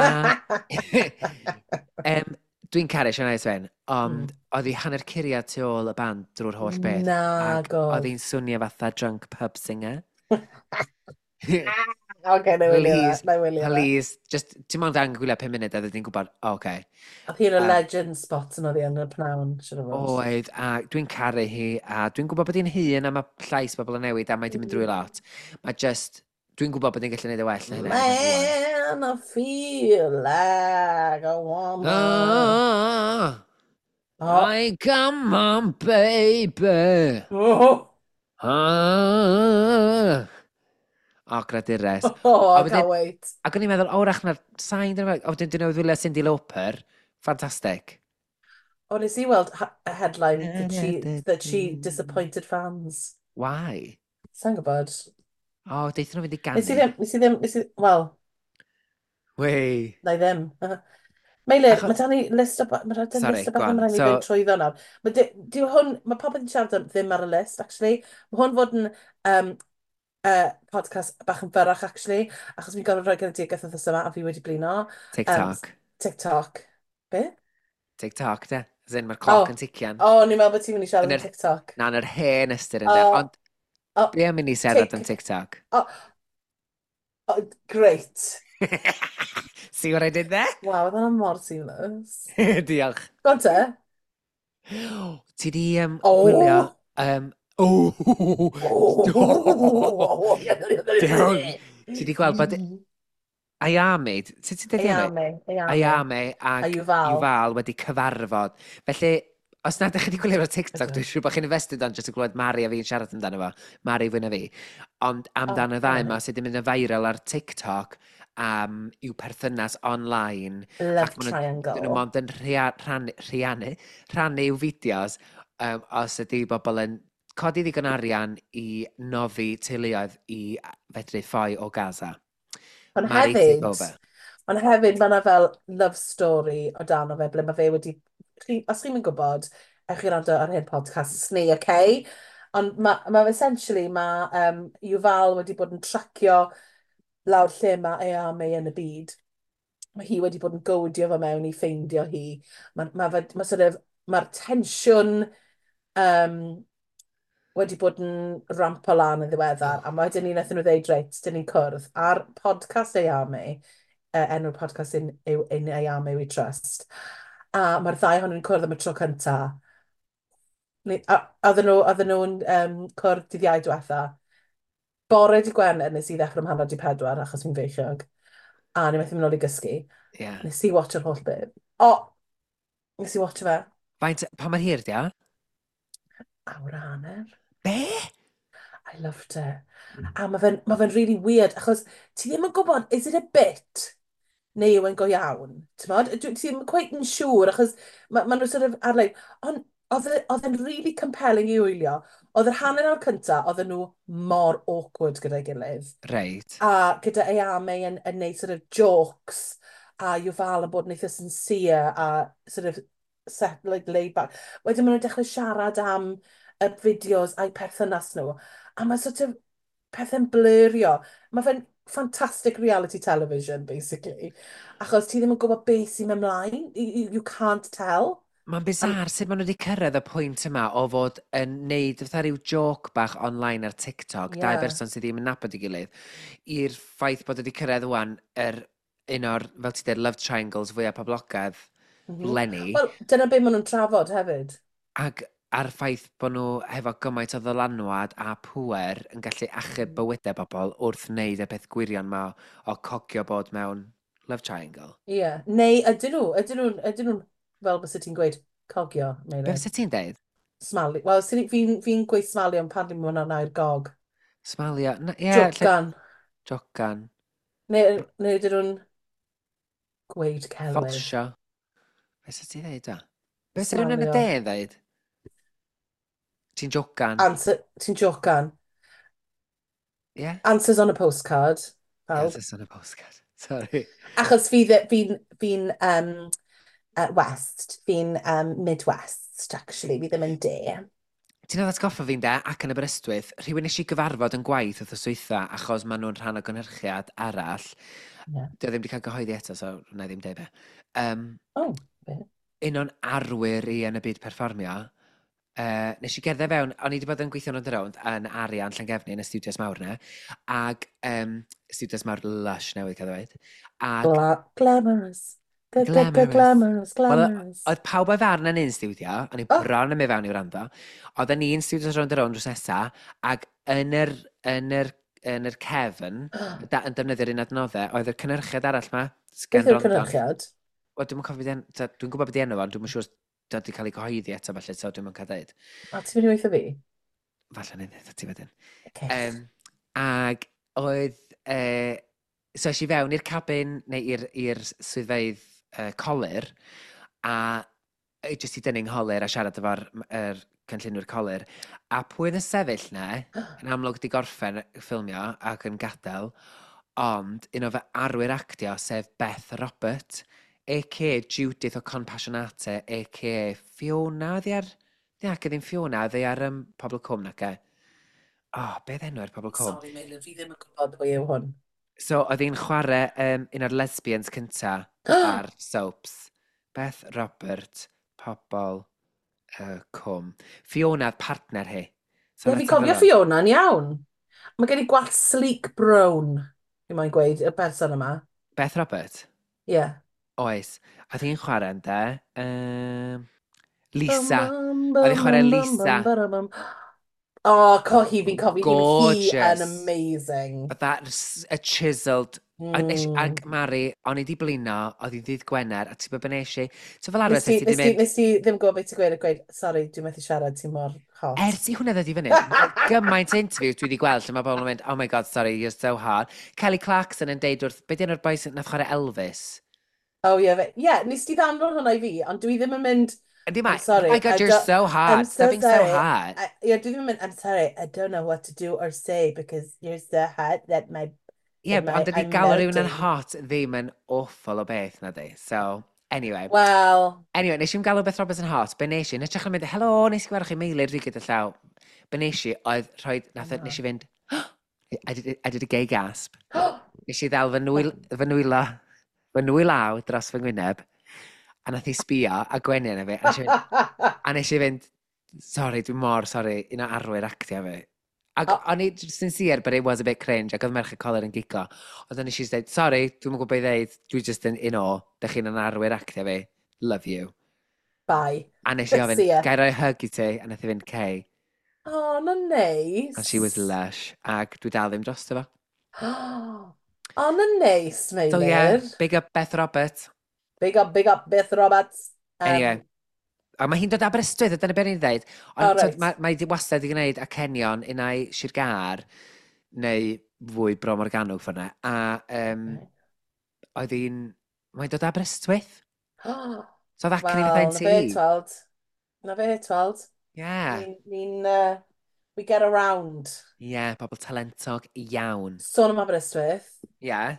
Speaker 2: um, dwi'n caru Shania Twain, ond
Speaker 1: Mm.
Speaker 2: oedd hi hanner curiad tu ôl y band drwy'r holl beth. Ac
Speaker 1: Nag
Speaker 2: oedd
Speaker 1: oedd.
Speaker 2: hi'n swnio fatha drunk pub singer.
Speaker 1: Oce, na i wylio fe,
Speaker 2: Please,
Speaker 1: na i wylio fe.
Speaker 2: please, just, ti'n mond angen gwylio pum munud a ddyn gwybod, o, oce.
Speaker 1: Oedd hi yn y
Speaker 2: Um,
Speaker 1: legend spot yn oedd hi yn y pnawn, siŵr o fod.
Speaker 2: Oedd, a dwi'n caru hi, a dwi'n gwybod bod hi'n hŷn a mae llais bobl yn newid a mae di mynd drwy lot. Mae just, dwi'n gwybod bod hi'n gallu neud y well na hynna erbyn rŵan.
Speaker 1: Man, I feel like a woman.
Speaker 2: Ah,
Speaker 1: Oh.
Speaker 2: I come on, baby.
Speaker 1: Oh,
Speaker 2: Ah. O, gradures.
Speaker 1: oh,
Speaker 2: A
Speaker 1: I
Speaker 2: wedyn-
Speaker 1: can't wait.
Speaker 2: Ac o'n i'n meddwl, o, wrach na'r sain, dyna fe. O, wedyn dyn nhw wylio Cyndi Lauper. Fantastic.
Speaker 1: O, nes i weld ha- a headline that she, that she disappointed fans.
Speaker 2: Why?
Speaker 1: Sa'n gwybod?
Speaker 2: O, deithon nhw fynd i
Speaker 1: Nes i
Speaker 2: ganu.
Speaker 1: ddim, nes i ddim, nes i, wel,
Speaker 2: Wei.
Speaker 1: na i ddim. Meilir,
Speaker 2: Acho-
Speaker 1: mae dan ni list o, ba- mae dan
Speaker 2: Sorry,
Speaker 1: list o
Speaker 2: go
Speaker 1: beth
Speaker 2: on.
Speaker 1: mae'n rhaid i
Speaker 2: So-
Speaker 1: fynd trwyddo nawr. Mae di, di hwn, mae popeth yn siarad am ddim ar y list, actually. Mae hwn fod yn um, uh, podcast bach yn fyrrach, actually, achos fi'n gorfod rhoi genedigaeth wythnos yma a fi wedi blino.
Speaker 2: TikTok.
Speaker 1: TikTok. Be?
Speaker 2: TikTok, de. As in, mae'r cloc
Speaker 1: Oh.
Speaker 2: yn tician.
Speaker 1: O, oh, ni'n meddwl bod ti'n mynd i siarad
Speaker 2: Yn
Speaker 1: am
Speaker 2: yr-
Speaker 1: TikTok.
Speaker 2: Na, yn yr hen ystyr ynddo.
Speaker 1: O,
Speaker 2: Ond
Speaker 1: o,
Speaker 2: be am i ni siarad
Speaker 1: Tic-
Speaker 2: am TikTok?
Speaker 1: O, oh, great.
Speaker 2: See what I did there?
Speaker 1: Waw, oedd hwnna mor seamless.
Speaker 2: Diolch.
Speaker 1: Go on te.
Speaker 2: Ti di um,
Speaker 1: O!
Speaker 2: gwylio... Um, oh!
Speaker 1: Oh!
Speaker 2: Diolch. Ti di gweld bod Ayame, sut ti'n dweud enw?
Speaker 1: Ayame, Ayame.
Speaker 2: Ayame
Speaker 1: A
Speaker 2: ac
Speaker 1: Yuval.
Speaker 2: Yuval wedi cyfarfod. Felly, os nad ydych chi wedi gwylio ar TikTok,
Speaker 1: Ydw.
Speaker 2: dwi'n siŵr bod chi'n invested on jyst i glywed Mari a fi'n siarad amdano fo. Mari fwy na fi. Ond amdan
Speaker 1: Oh,
Speaker 2: y ddau
Speaker 1: Mari.
Speaker 2: yma sydd wedi mynd yn viral ar TikTok am i'w perthynas online.
Speaker 1: Love
Speaker 2: Ac ma' nhw-
Speaker 1: triangle.
Speaker 2: Dyn nhw mond yn rhia, rhannu, rhiannu, rhannu i'w fideos um, os ydy bobl yn codi ddigon arian i noddi teuluoedd i fedru ffoi o Gaza.
Speaker 1: Ond
Speaker 2: Mari, take
Speaker 1: hefyd,
Speaker 2: over.
Speaker 1: ond hefyd mae yna fel love story o dan o fe, ble mae fe wedi... Chi, os chi'n mynd gwybod, ewch chi wrando ar hyn podcast ni, okay? Ond mae ma essentially, mae um, Yuval wedi bod yn tracio lawr lle mae Ayame yn y byd. Mae hi wedi bod yn godio fo mewn i ffeindio hi. Mae ma, fe, ma sort of, mae'r tensiwn um, wedi bod yn rampo lan yn ddiweddar, a wedyn ni wnaethon nhw ddeud, reit, dyn ni'n cwrdd ar podcast Ayame, uh, enw'r podcast in, yw In Ayame We Trust, a mae'r ddau ohonyn nhw'n cwrdd am y tro cynta. Ni- a- Oedden nhw, oedden nhw'n um, cwrdd dydd Iau diwetha. Bore dydd Gwener nes i ddechrau am hanner di pedwar achos fi'n feichiog. A ni methu mynd nôl i gysgu.
Speaker 2: Yeah.
Speaker 1: Nes i watch yr holl beth. O! Nes i watch fe.
Speaker 2: Faint, pa mor hir di o?
Speaker 1: Awr a hanner.
Speaker 2: Be?
Speaker 1: I loved it. A mae fe'n ma fe really weird, achos ti ddim yn gwybod, is it a bit? Neu yw e'n go iawn? T'mod? Dwi- Ti ddim quite yn siŵr, achos mae ma nhw sort of ar-lein. Ond oedd e- oedd e'n really compelling i wylio. Oedd yr hanner awr cynta, oedden nhw mor awkward gyda'i gilydd.
Speaker 2: Reit.
Speaker 1: A gyda Ayame yn, yn neud sort of jokes, a Yuval yn bod yn eitha sincere a sort of set, like, laid back. Wedyn maen nhw'n dechrau siarad am y fideos a'i perthynas nhw. A mae sort of pethau'n blurrio. Mae fe'n fantastic reality television, basically. Achos ti ddim yn gwybod beth sy'n mynd ymlaen. You, you, you can't tell.
Speaker 2: Mae'n bizarre sut maen nhw wedi cyrraedd y pwynt yma o fod yn neud fatha rhyw joke bach online ar TikTok, yeah, dau berson sydd ddim yn nabod ei gilydd, i'r ffaith bod wedi cyrraedd wan yr un o'r, fel ti dweud, love triangles fwyaf poblogaidd
Speaker 1: Mm -hmm.
Speaker 2: leni.
Speaker 1: Wel, dyna beth maen nhw'n trafod hefyd.
Speaker 2: Ac a'r ffaith bod nhw hefo gymaint o ddylanwad a pŵer yn gallu achub
Speaker 1: Mm.
Speaker 2: bywydau bobl wrth wneud y peth gwirion ma o cogio bod mewn love triangle.
Speaker 1: Ie. Yeah. Neu ydyn nhw, ydyn nhw'n, ydyn nhw'n, fel bys ti'n gweud, cogio,
Speaker 2: Be
Speaker 1: Meilir?
Speaker 2: fysa ti'n deud?
Speaker 1: Smalu. Wel, fi'n fi gweud smalio, ond pan ddim hwnna'n air gog.
Speaker 2: Smalio? Ie, yeah,
Speaker 1: Jocan.
Speaker 2: Jocan.
Speaker 1: Neu, neu ydyn nhw'n gweud celwydd.
Speaker 2: Ffolsio. Be fysa ti'n dweud da? Be fysa rhywun yn y
Speaker 1: Smalio.
Speaker 2: de yn dweud? Ti'n jocan?
Speaker 1: Answer, ti'n jocan.
Speaker 2: Ie? Yeah?
Speaker 1: Answers on a postcard. Pawb.
Speaker 2: Answers on a postcard. Sorry.
Speaker 1: Achos fi, fi'n fi um, uh, West, fi'n um, Midwest, actually, fi ddim yn de.
Speaker 2: Ti'n oedd atgoffa fi'n de, ac yn Aberystwyth, rhywun nes i gyfarfod yn gwaith wrth dwytha achos maen nhw'n rhan o gynhyrchiad arall.
Speaker 1: Yeah.
Speaker 2: Dio ddim wedi cael gyhoeddi eto, so wna i ddim deud be. Um,
Speaker 1: Oh, be?
Speaker 2: Un o'n arwyr i yn y byd perfformio, uh, nes i gerdded fewn, o'n i wedi bod yn gweithio yn rownd yn Arian Llangefni yn y studios mawr na, ag um, studios mawr lush newydd cael ddweud. Ag
Speaker 1: Gla glamorous.
Speaker 2: Glamorous.
Speaker 1: Glamorous,
Speaker 2: Wel,
Speaker 1: glamorous.
Speaker 2: oedd pawb o'i farn yn un studio, o'n i
Speaker 1: Oh.
Speaker 2: bron yn mynd fewn i wrando. Oedd yn un studios rownd a rownd drws nesa, ac yn yr, yn yr, yn yr cefn, da, yn defnyddio'r un adnoddau, oedd y cynhyrchiad arall ma,
Speaker 1: Beth
Speaker 2: Sgen
Speaker 1: yw'r
Speaker 2: Rondon.
Speaker 1: cynhyrchiad?
Speaker 2: Wel, dwi'm yn cofio beth en- dwi'n gwybod beth enw fo, ond dwi'm yn siŵr os wedi cael ei cyhoeddi eto, falle, so dwi'm yn cael dweud.
Speaker 1: A ti'n mynd i weithio fi?
Speaker 2: Falle neu ddeud ti wedyn.
Speaker 1: Okay.
Speaker 2: Um, ag oedd... Uh, so es i fewn i'r cabin, neu i'r i'r swyddfeydd uh, colur, a yy, jyst i dynnu ngholur a siarad efo'r er cynllunwyr colur. A pwy oedd yn sefyll na, yn amlwg di gorffen ffilmio ac yn gadael, ond un o fy arwyr actio, sef Beth Robert, A K A Judith o Compassionate, A K A. Fiona, oedd hi ar... Ie, ac ddim Fiona, oedd hi ar um, Pobl y Cwm, nac e? Oh, beth enw ar Pobl y Cwm?
Speaker 1: Sorry, Meilir, fi ddim yn gwybod pwy yw hwn.
Speaker 2: So, oedd hi'n chwarae um, un o'r lesbians cynta ar soaps. Beth Robert, Pobl y Cwm. Fiona, partner hi. So,
Speaker 1: Ie, fi'n
Speaker 2: let's have a
Speaker 1: cofio
Speaker 2: look.
Speaker 1: Fiona'n iawn. Mae gen i gwallt sleek brown, fi moyn gweud, y person yma.
Speaker 2: Beth Robert?
Speaker 1: Ie. Yeah.
Speaker 2: Oes. Oedd hi'n chwarae ynddo. Um, Lisa. Oedd hi'n chwarae Lisa.
Speaker 1: O, oh, co hi, fi'n cofio hi. Mae hi yn
Speaker 2: Gorgeous.
Speaker 1: amazing.
Speaker 2: Fatha s- a chiseled. A nes,
Speaker 1: Mm.
Speaker 2: ag Mari, o'n i di blino, oedd hi'n ddydd Gwener, a ti'n gwybod be nes i? So fel arfer,
Speaker 1: Nes ti,
Speaker 2: ti di
Speaker 1: nes ti,
Speaker 2: mynd,
Speaker 1: nes ti ddim gwybod beth ti'n gweud a gweud, "Sorry, dwi'n methu siarad, ti'n mor hot."
Speaker 2: Ers i hwnna ddod i fyny, mae gymaint o interviews dwi wedi gweld lle mae bobl yn mynd, "Oh my God, sorry, you're so hot." Kelly Clarkson yn deud wrth, be di enw'r boi sy'n nath chwarae Elvis?
Speaker 1: Oh, ie, yeah, yeah, nes ti ddanfon hwnna i fi, ond dwi ddim yn mynd,
Speaker 2: Yndi ma,
Speaker 1: "I'm sorry,
Speaker 2: "Oh my God,
Speaker 1: I
Speaker 2: you're
Speaker 1: don't-
Speaker 2: so hot,
Speaker 1: I'm
Speaker 2: stop
Speaker 1: so
Speaker 2: being so
Speaker 1: sorry.
Speaker 2: hot."
Speaker 1: I, yeah, dwi ddim yn mynd, "I'm sorry, I don't know what to do or say because you're so hot that my,
Speaker 2: Ie,
Speaker 1: that my,
Speaker 2: ond ydy
Speaker 1: I'm
Speaker 2: galw rhywun yn
Speaker 1: melting."
Speaker 2: hot ddim yn awful o beth na di. So, anyway.
Speaker 1: Well,
Speaker 2: Anyway, nes i'm galw Beth Roberts yn hot. Be nes i, yn hytrach na mynd, "Helo, nes i gweld chi Meilir," fi gyda llaw. Be nes i, oedd rhoi, nath,
Speaker 1: Na.
Speaker 2: nes i fynd, I did, I did a gay gasp. Nes i ddal fy nwyl, fy nwylo, fy nwylaw dros fy ngwyneb, a nath i sbio a gwenu arna fi, a nes i fynd, a nes i fynd, "Sorry, dwi'n mor sorry," un o arwyr actio fi. Ac
Speaker 1: Oh.
Speaker 2: o'n i sincere, but it was a bit cringe, ac oedd merch y colur yn giglo. Ond o'n i eisiau dweud, "Sorry, dwi'n gwybod beth i ddeud, dwi just yn in awe, dych chi'n yn arwyr actio fi, love you."
Speaker 1: Bye.
Speaker 2: A nes i ofyn,
Speaker 1: See ya.
Speaker 2: "Ga i roi hug i ti?" A nath i fynd, "Cei."
Speaker 1: Oh, na neis.
Speaker 2: And she was lush, ac dwi dal ddim drosto fo.
Speaker 1: Oh, na neis,
Speaker 2: So yeah,
Speaker 1: Meilir.
Speaker 2: big up Beth Roberts.
Speaker 1: Big up, big up, Beth Roberts. Um,
Speaker 2: Anyway, a mae hi'n dod Aberystwyth, a dyna beth ni'n dweud. Ond
Speaker 1: Oh,
Speaker 2: oh,
Speaker 1: reit.
Speaker 2: mae, mae di wastad i gwneud acenion unai Sir Gâr, neu fwy Bro Morgannwg ffordd. A um, oedd hi'n... Mae'n dod Aberystwyth. So that can
Speaker 1: Wel,
Speaker 2: fatha
Speaker 1: na fe,
Speaker 2: ti.
Speaker 1: tweld. Na fe, tweld.
Speaker 2: Yeah.
Speaker 1: Ni'n, ni uh, We get around.
Speaker 2: Ie, yeah, pobl talentog iawn.
Speaker 1: Sôn am Aberystwyth.
Speaker 2: Ie. Yeah.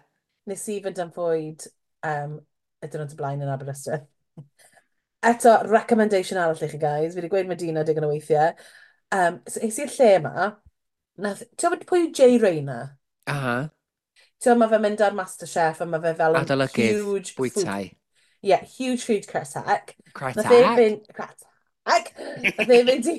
Speaker 1: Nes i fynd am fwyd um, y diwrnod o blaen yn Aberystwyth. Eto, recommendation arall i chi guys. Fi wedi gweud Medina digon o weithiau. Um, so, es i'r lle yma. Nath, ti'n gwybod pwy yw Jay Rayner?
Speaker 2: Aha.
Speaker 1: Ti'n gwybod, mae fe'n mynd ar MasterChef a mae fe fel yn
Speaker 2: Adolygydd
Speaker 1: huge food.
Speaker 2: Bwytai.
Speaker 1: Yeah, huge food critic. Nath e
Speaker 2: Critic.
Speaker 1: fynd... Critic! Nath e fynd i...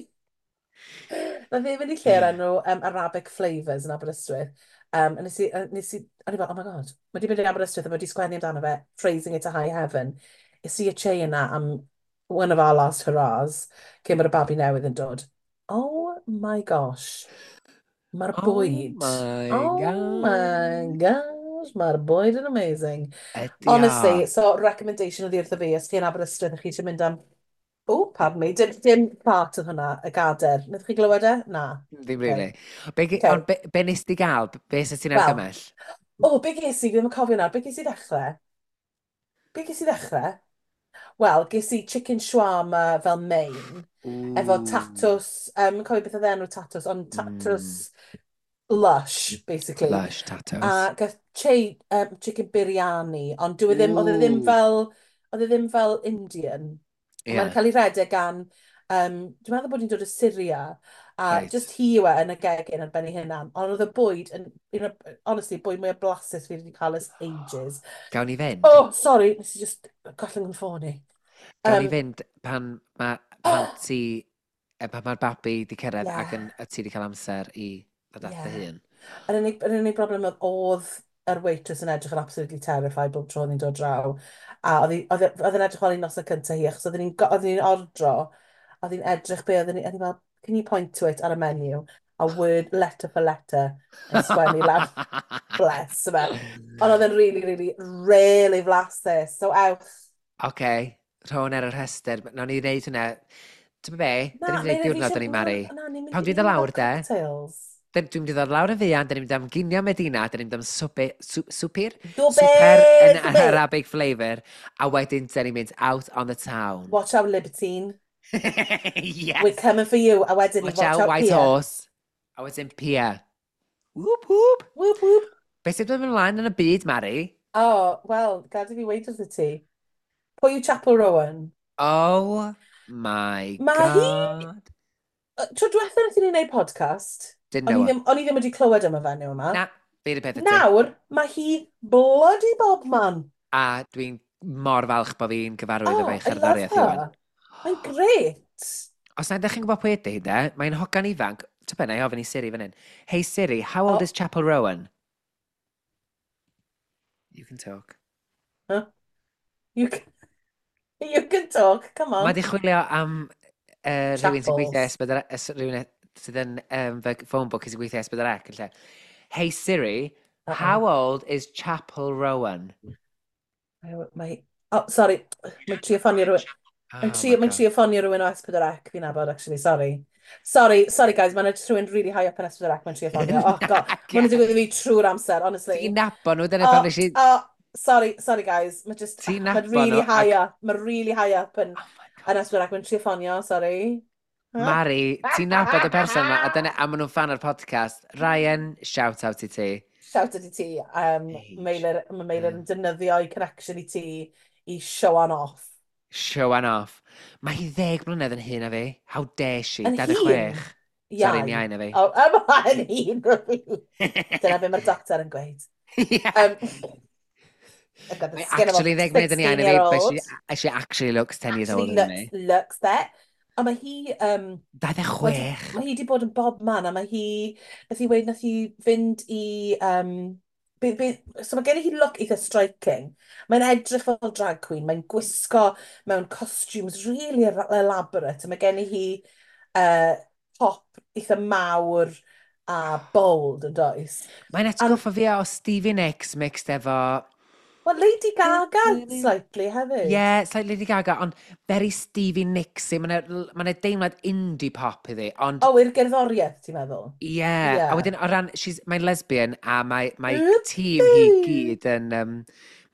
Speaker 1: Nath e fynd i lle o'r enw um, Arabic Flavours yn Aberystwyth. Um, a nes i, a nes i, a ni fel, "Oh my God, mae wedi mynd i Aberystwyth a mae wedi sgwennu amdano fe, praising it to high heaven." Es i y che yna am one of our last hurrahs, cyn bod y babi newydd yn dod. Oh my gosh. Mae'r
Speaker 2: Oh
Speaker 1: bwyd.
Speaker 2: my
Speaker 1: Oh my
Speaker 2: God.
Speaker 1: Gosh, mae'r bwyd yn amazing.
Speaker 2: Ydy o.
Speaker 1: Honestly, so recommendation oedd wrtho fi, os chi yn Aberystwyth a chi eisiau mynd am... Oh, pardon me, dim, dim part oedd hwnna, y gader. Wnaethoch chi glywed e? Na.
Speaker 2: Ddim
Speaker 1: Okay.
Speaker 2: really. Be, ge-
Speaker 1: Okay.
Speaker 2: Ond be, be nes di gael? Be sydd ti'n
Speaker 1: Wel,
Speaker 2: argymell?
Speaker 1: O, be ges i, fi ddim yn cofio nawr, be ges i ddechrau? Be ges i ddechrau? Wel, ges i chicken shawarma fel main, efo
Speaker 2: Ooh.
Speaker 1: tatws, um, cofio beth oedd enw tatws, ond tatws
Speaker 2: Mm,
Speaker 1: lush, basically.
Speaker 2: Lush tatos.
Speaker 1: A gath che, um, chicken biryani, ond dyw e ddim, oedd e ddim
Speaker 2: Ooh.
Speaker 1: fel, oedd e ddim fel Indian.
Speaker 2: Ie,
Speaker 1: Mae'n cael ei redeg gan, um, dwi'n meddwl bod hi'n dod o Syria, a
Speaker 2: reit.
Speaker 1: just hi yw e yn y gegin ar ben ei hunan. Ond oedd y bwyd yn, you know, honestly, bwyd mwy o blasus fi wedi cael ers ages.
Speaker 2: Gawn ni fynd?
Speaker 1: Oh, sorry, nes i just gollwng yn ffôn i.
Speaker 2: Gawn ni
Speaker 1: Um,
Speaker 2: fynd pan ma, pan ti, eh, pan mae'r babi di cyrraedd
Speaker 1: yeah,
Speaker 2: ac yn, a ti di cael amser i ddod at dy
Speaker 1: yeah.
Speaker 2: hun.
Speaker 1: Yr unig, yr unig broblem oedd oedd yr waitress yn edrych yn absolutely terrified bob tro oedd hi'n dod draw. A oedd hi- oedd e- oedd e'n edrych fel ei noson cyntaf hi, achos oedd hi'n oedd hi'n ordro, a oedd hi'n edrych be oedd hi'n, oedd hi fel, "Can you point to it ar y menu?" A word, letter for letter, yn sgwennu lawr, bless fe. Ond oedd e'n really, really, really flasus. So ewch.
Speaker 2: Oce, rho ar y rhestr. Nawn ni wneud hwnna. Ti'n be?
Speaker 1: Na,
Speaker 2: Dyn ni'n gwneud
Speaker 1: Meilir, fi
Speaker 2: diwrnod
Speaker 1: eisiau.
Speaker 2: yn ei
Speaker 1: Na,
Speaker 2: Mari.
Speaker 1: na, ni'n mynd
Speaker 2: Pan
Speaker 1: i
Speaker 2: dwi'n dod
Speaker 1: ni'n
Speaker 2: lawr
Speaker 1: mynd
Speaker 2: de,
Speaker 1: cocktails.
Speaker 2: dyn- dwi'n mynd i ddod lawr yn fuan, dyn ni'n mynd am ginio Medina, dyn ni'n mynd am swpe, sw, swper,
Speaker 1: Dwbe,
Speaker 2: swper yn
Speaker 1: dwbe.
Speaker 2: Arabic flavour, a wedyn dyn ni'n mynd out on the town.
Speaker 1: Watch out, Libertine.
Speaker 2: Yes!
Speaker 1: We're coming for you. A wedyn ni,
Speaker 2: Watch
Speaker 1: watch
Speaker 2: out,
Speaker 1: out,
Speaker 2: White
Speaker 1: Pia.
Speaker 2: Horse. A wedyn Pia. Whoop, whoop.
Speaker 1: Whoop, whoop.
Speaker 2: Beth sydd yn mynd ymlaen yn y byd, Mari?
Speaker 1: Oh, wel, gad i fi weud wrth ti. Pwy yw Chappell Rowan?
Speaker 2: Oh my
Speaker 1: Mae hi
Speaker 2: God.
Speaker 1: Tro diwetha wnaethon ni wneud podcast,
Speaker 2: Didn't
Speaker 1: o'n i
Speaker 2: know her.
Speaker 1: ddim, o'n i ddim wedi clywed am y fenyw yma.
Speaker 2: Na, fi'r peth y ti.
Speaker 1: Nawr, mae hi bloody bobman.
Speaker 2: A dwi'n mor falch bod fi'n gyfarwydd
Speaker 1: Oh,
Speaker 2: efo'i
Speaker 1: I love
Speaker 2: cherddoriaeth i wan.
Speaker 1: her. Mae'n grêt.
Speaker 2: Os na ydych chi'n gwybod pwy ydy hi, de, mae'n hogan ifanc. Ti'n be, na i ofyn i Siri fan hyn. Hey Siri, how old
Speaker 1: Oh.
Speaker 2: is Chappell Rowan? You can talk.
Speaker 1: Huh? You can, you can talk, come
Speaker 2: Mae
Speaker 1: on.
Speaker 2: di chwilio am uh, rhywun sy'n gweithio
Speaker 1: Chapples.
Speaker 2: S pedwar, es, rhywun sydd yn um, fy phone book sy'n gweithio S pedwar C yn lle. Hey Siri,
Speaker 1: Uh-oh.
Speaker 2: how old is Chappell Rowan?
Speaker 1: Mae, mae, oh, sorry, mae'n trio ffonio rhywun. Mae'n
Speaker 2: Oh
Speaker 1: trio,
Speaker 2: my
Speaker 1: mae'n
Speaker 2: God.
Speaker 1: trio ffonio rhywun o S pedwar C fi'n nabod, actually, sorry. Sorry, sorry guys, mae'n rhywun really high up yn S pedwar C mae'n trio ffonio. Oh God, mae'n digwydd i fi trwy'r amser, honestly.
Speaker 2: Ti'n nabod nhw, dyna
Speaker 1: Oh,
Speaker 2: pan nes i
Speaker 1: oh, sorry, sorry guys. Mae just,
Speaker 2: Ti'n
Speaker 1: mae'n
Speaker 2: nabod
Speaker 1: really
Speaker 2: nhw,
Speaker 1: high
Speaker 2: ac
Speaker 1: up. Mae'n really high up yn,
Speaker 2: Oh my God.
Speaker 1: yn S pedwar C. Mae'n trio ffonio, sorry.
Speaker 2: Mari, ti'n nabod y person yma, a dyna, a maen nhw'n fan o'r podcast. Ryan, shout out i ti.
Speaker 1: Shout out i ti. Um,
Speaker 2: Age.
Speaker 1: Meilir, mae Meilir
Speaker 2: Mm.
Speaker 1: yn defnyddio ei connection i ti i show on off.
Speaker 2: Show on off. Mae hi ddeg mlynedd yn hyn na fi. How dare she?
Speaker 1: Yn
Speaker 2: dau ddeg chwech.
Speaker 1: hŷn?
Speaker 2: Sorry,
Speaker 1: Iau.
Speaker 2: yn iau na fi.
Speaker 1: Oh, ymlaen hŷn na fi. Dyna be mae'r doctor yn gweud.
Speaker 2: Yeah.
Speaker 1: Um, I've got the
Speaker 2: Mae
Speaker 1: skin of a
Speaker 2: actually ddeg mlynedd yn iau na fi, but she,
Speaker 1: sixteen-year-old.
Speaker 2: she actually looks ten years
Speaker 1: Actually
Speaker 2: older than
Speaker 1: looks,
Speaker 2: me.
Speaker 1: looks that. A mae hi, um,
Speaker 2: dau ddeg chwech.
Speaker 1: Mae hi wedi bod yn bob man, a mae hi, nath hi weud, nath hi fynd i, um, be, be, so mae gen i hi look eitha striking. Mae'n edrych fel drag queen, mae'n gwisgo mewn costumes really elaborate, a mae gen i hi uh, top eitha mawr a bold yn does.
Speaker 2: Mae'n atgoffa fi o Stevie Nicks mixed efo
Speaker 1: Well, Lady Gaga slightly hefyd.
Speaker 2: Yeah, it's like Lady Gaga, ond very Stevie Nicks. Mae'n ma deimlad indie pop iddi, ond
Speaker 1: O, i'r gerddoriaeth, ti'n meddwl?
Speaker 2: Yeah.
Speaker 1: Yeah.
Speaker 2: A wedyn, o ran, she's, mae'n lesbian, a mae, mae
Speaker 1: Whoopee!
Speaker 2: tîm hi gyd yn, um,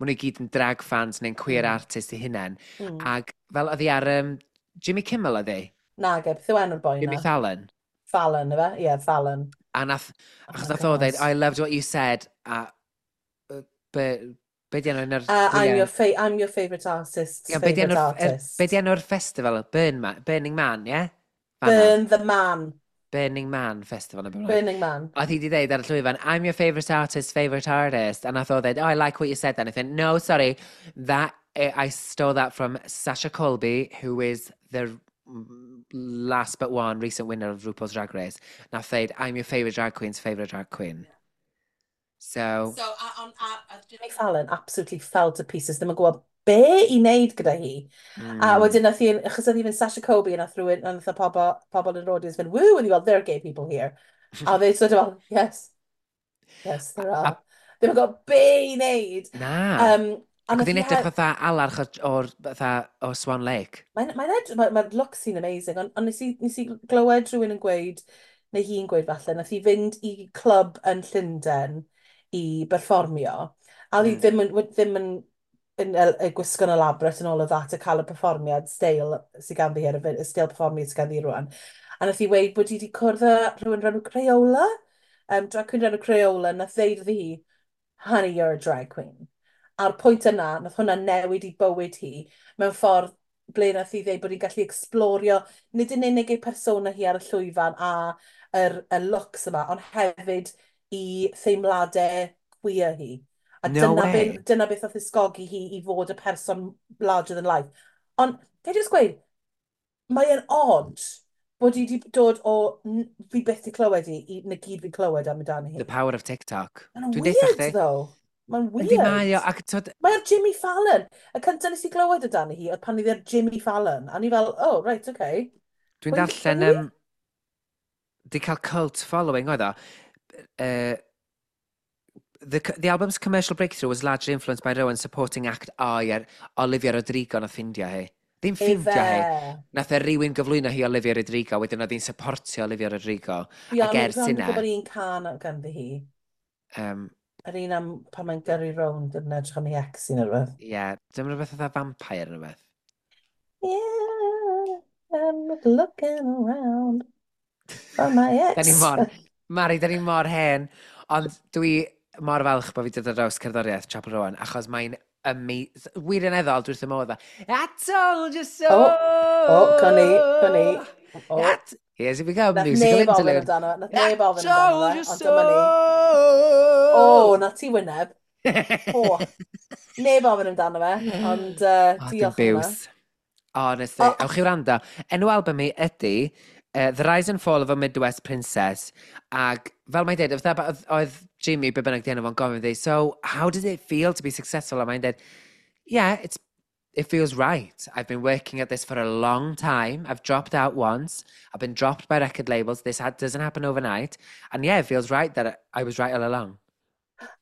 Speaker 2: maen nhw i gyd yn drag fans neu'n queer
Speaker 1: Mm.
Speaker 2: artist eu hunain.
Speaker 1: Mm.
Speaker 2: Ac fel oedd hi ar um, Jimmy Kimmel oedd hi?
Speaker 1: Nage, beth yw enw'r boi
Speaker 2: Jimmy
Speaker 1: na?
Speaker 2: Fallon.
Speaker 1: Fallon, ife? Ie, yeah, Fallon.
Speaker 2: A nath,
Speaker 1: Oh
Speaker 2: achos
Speaker 1: my
Speaker 2: nath o
Speaker 1: God.
Speaker 2: ddeud, "I loved what you said," a be, be di enw un o'r
Speaker 1: Uh, I'm
Speaker 2: gwyliau?
Speaker 1: your, fa I'm your favourite artist's
Speaker 2: Ie, be di
Speaker 1: favourite
Speaker 2: enw'r er, be
Speaker 1: artist.
Speaker 2: di enw'r festival? Burn Ma, Burning Man, ie? Yeah? Fanna.
Speaker 1: Burn the Man.
Speaker 2: Burning Man Festival, neu beth bynnag.
Speaker 1: Burning Man.
Speaker 2: Oedd hi wedi dweud ar y llwyfan, "I'm your favourite artist, favourite artist." A nath o dweud, "Oh, I like what you said then." I think, "No, sorry, that, eh, I stole that from Sasha Colby, who is the last but one recent winner of RuPaul's Drag Race." Nath dweud, "I'm your favourite drag queen's favourite drag queen." So,
Speaker 1: So, a, on, a, a Jimmy Fallon absolutely fell to pieces. Ddim yn gwybod be i wneud gyda hi. Mm. A wedyn nath hi, achos oedd hi fynd Sasha Colby, a nath rhywun, a nath y pobl, pobl yn yr audience fynd, "Woo," and he fel, "There are gay people here." A they sort of fel, "Yes, yes, there are." Ddim yn gwybod be i wneud.
Speaker 2: Na.
Speaker 1: Um, a
Speaker 2: Ac
Speaker 1: nath
Speaker 2: oedd hi'n
Speaker 1: hi
Speaker 2: edrych
Speaker 1: he-
Speaker 2: fatha alarch o'r, o'r, fatha, o Swan Lake.
Speaker 1: Mae'n mae edrych, mae'r mae look sy'n amazing, ond on nes, i, nes i glywed rhywun yn gweud, neu hi'n gweud falle, nath hi fynd i clwb yn Llundain i berfformio, a oedd hi
Speaker 2: Mm.
Speaker 1: ddim yn, ddim yn, yn, yn, yn gwisgo'n elaborate and all of that, a cael y perfformiad steil sydd ganddi ar y y steil perfformiad sydd ganddi rwan. A nath hi weud bod hi wedi cwrdd â rhywun rhan Crayola, um, drag queen rhan Crayola, nath ddeud iddi hi, "Honey, you're a drag queen." A'r pwynt yna, nath hwnna newid i bywyd hi mewn ffordd ble nath hi ddeud bod hi'n gallu explorio nid yn unig ei persona hi ar y llwyfan a yr, y looks yma, ond hefyd i theimladau queer hi. A
Speaker 2: No
Speaker 1: dyna,
Speaker 2: way.
Speaker 1: be, dyna beth oedd ysgogi hi i fod y person larger than life. Ond, ga i just gweud, mae e'n odd bod hi wedi dod o n- fi byth 'di clywed i, i na gyd fi'n clywed am amdani hi.
Speaker 2: The power of TikTok.
Speaker 1: Mae'n
Speaker 2: Dwi'n deutha
Speaker 1: weird,
Speaker 2: chdi.
Speaker 1: though. Mae'n weird.
Speaker 2: Yndi mae o, ac twyd,
Speaker 1: Mae'r Jimmy Fallon. Y cyntaf nes i glywed amdani hi oedd pan oedd ar Jimmy Fallon. A ni fel, "Oh, right, okay."
Speaker 2: Dwi'n
Speaker 1: Pwy-
Speaker 2: darllen,
Speaker 1: pwy yw hi?
Speaker 2: um, di cael cult following oedd o. Uh, the, the album's commercial breakthrough was largely influenced by Rowan's supporting act, o ie, Olivia Rodrigo nath ffindio hi. Ddim ffindio hi.
Speaker 1: Ife.
Speaker 2: Nath e rywun gyflwyno hi Olivia Rodrigo, wedyn oedd hi'n supportio Olivia Rodrigo.
Speaker 1: Fi
Speaker 2: Ac
Speaker 1: ond
Speaker 2: ers
Speaker 1: fi ond yn
Speaker 2: hynna,
Speaker 1: gwybod un cân ganddi hi.
Speaker 2: um,
Speaker 1: Yr un am pan mae'n gyrru rownd yn edrych am ei ex neu rhywbeth.
Speaker 2: Ie, yeah, dim rhywbeth fatha vampire neu rhywbeth.
Speaker 1: Yeah, I'm looking around for my ex.
Speaker 2: Da ni mor, Mari, da ni mor hen. Ond dwi mor falch bod fi wedi dod ar draws cerddoriaeth Chappell Rowan, achos mae'n amazing. Wirioneddol, dwi wrth y modd. "I told you so!"
Speaker 1: O, o, con ni, con ni. O.
Speaker 2: At, here's we go,
Speaker 1: Nath
Speaker 2: musical
Speaker 1: neb ofyn
Speaker 2: interlude.
Speaker 1: amdano, nath
Speaker 2: I
Speaker 1: neb ofyn amdano
Speaker 2: told
Speaker 1: fe,
Speaker 2: you
Speaker 1: ond
Speaker 2: so!
Speaker 1: dyma ni. O, na ti wyneb. O, neb ofyn amdano fe, ond uh,
Speaker 2: O, dim
Speaker 1: diolch am hwnna.
Speaker 2: biws. Honestly,
Speaker 1: O.
Speaker 2: ewch i wrando. Enw album hi ydy uh, The Rise and Fall of a Midwest Princess. Ac fel mae'n dweud, oedd, oedd, oedd Jimmy, be bynnag di enw fo'n gofyn iddi, "So how does it feel to be successful?" A mae'n dweud, "Yeah, it's, it feels right. I've been working at this for a long time. I've dropped out once. I've been dropped by record labels. This ha doesn't happen overnight. And yeah, it feels right that I was right all along."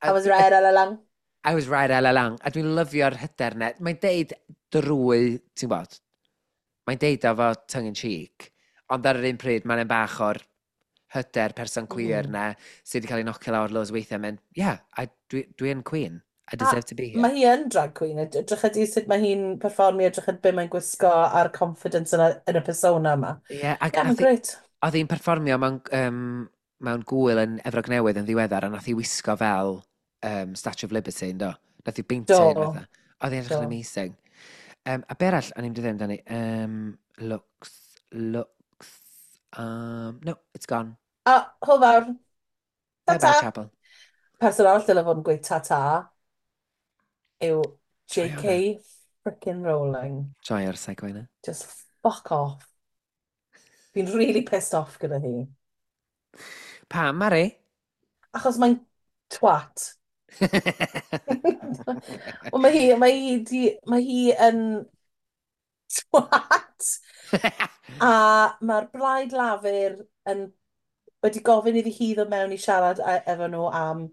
Speaker 1: I was right all along.
Speaker 2: I was right all along. A dwi'n lyfio'r hyder 'na. Mae'n deud drwy, ti'n gwybod, mae'n deud o fo tongue in cheek, ond ar yr un pryd mae'n bach o'r hyder person queer
Speaker 1: Mm.
Speaker 2: na sydd wedi cael ei nocio lawr loads weithiau. Mynd, "Yeah, I, dwi, dwi yn queen. I deserve to be here."
Speaker 1: Mae hi yn drag queen. Edrych ydi sut mae hi'n perfformio, edrych at be mae'n gwisgo a'r confidence yn y, yn y persona yma.
Speaker 2: Yeah, ac
Speaker 1: Yeah, mae'n
Speaker 2: nath hi-
Speaker 1: great.
Speaker 2: oedd hi'n perfformio mewn, um, mewn gwyl yn Efrog Newydd yn ddiweddar, a nath hi wisgo fel um, Statue of Liberty, yndo? Nath hi beintio
Speaker 1: Do.
Speaker 2: un fatha. Oedd hi'n edrych yn
Speaker 1: Do.
Speaker 2: amazing. Um, a be arall, o'n i'n dweud amdani? Um, looks, looks, um, no, it's gone.
Speaker 1: A, hwyl fawr.
Speaker 2: Bye bye,
Speaker 1: Ta-ta.
Speaker 2: Chappell.
Speaker 1: Person arall dyle fod yn gweud ta-ta yw
Speaker 2: Joio
Speaker 1: J K frickin' Rowling.
Speaker 2: Joio'r segue yna.
Speaker 1: Just fuck off. Fi'n really pissed off gyda hi.
Speaker 2: Pam, Mari?
Speaker 1: Achos mae'n twat. Wel, mae hi, mae hi, di, mae hi yn twat. A mae'r Blaid Lafur yn wedi gofyn iddi hi ddod mewn i siarad e- efo nhw am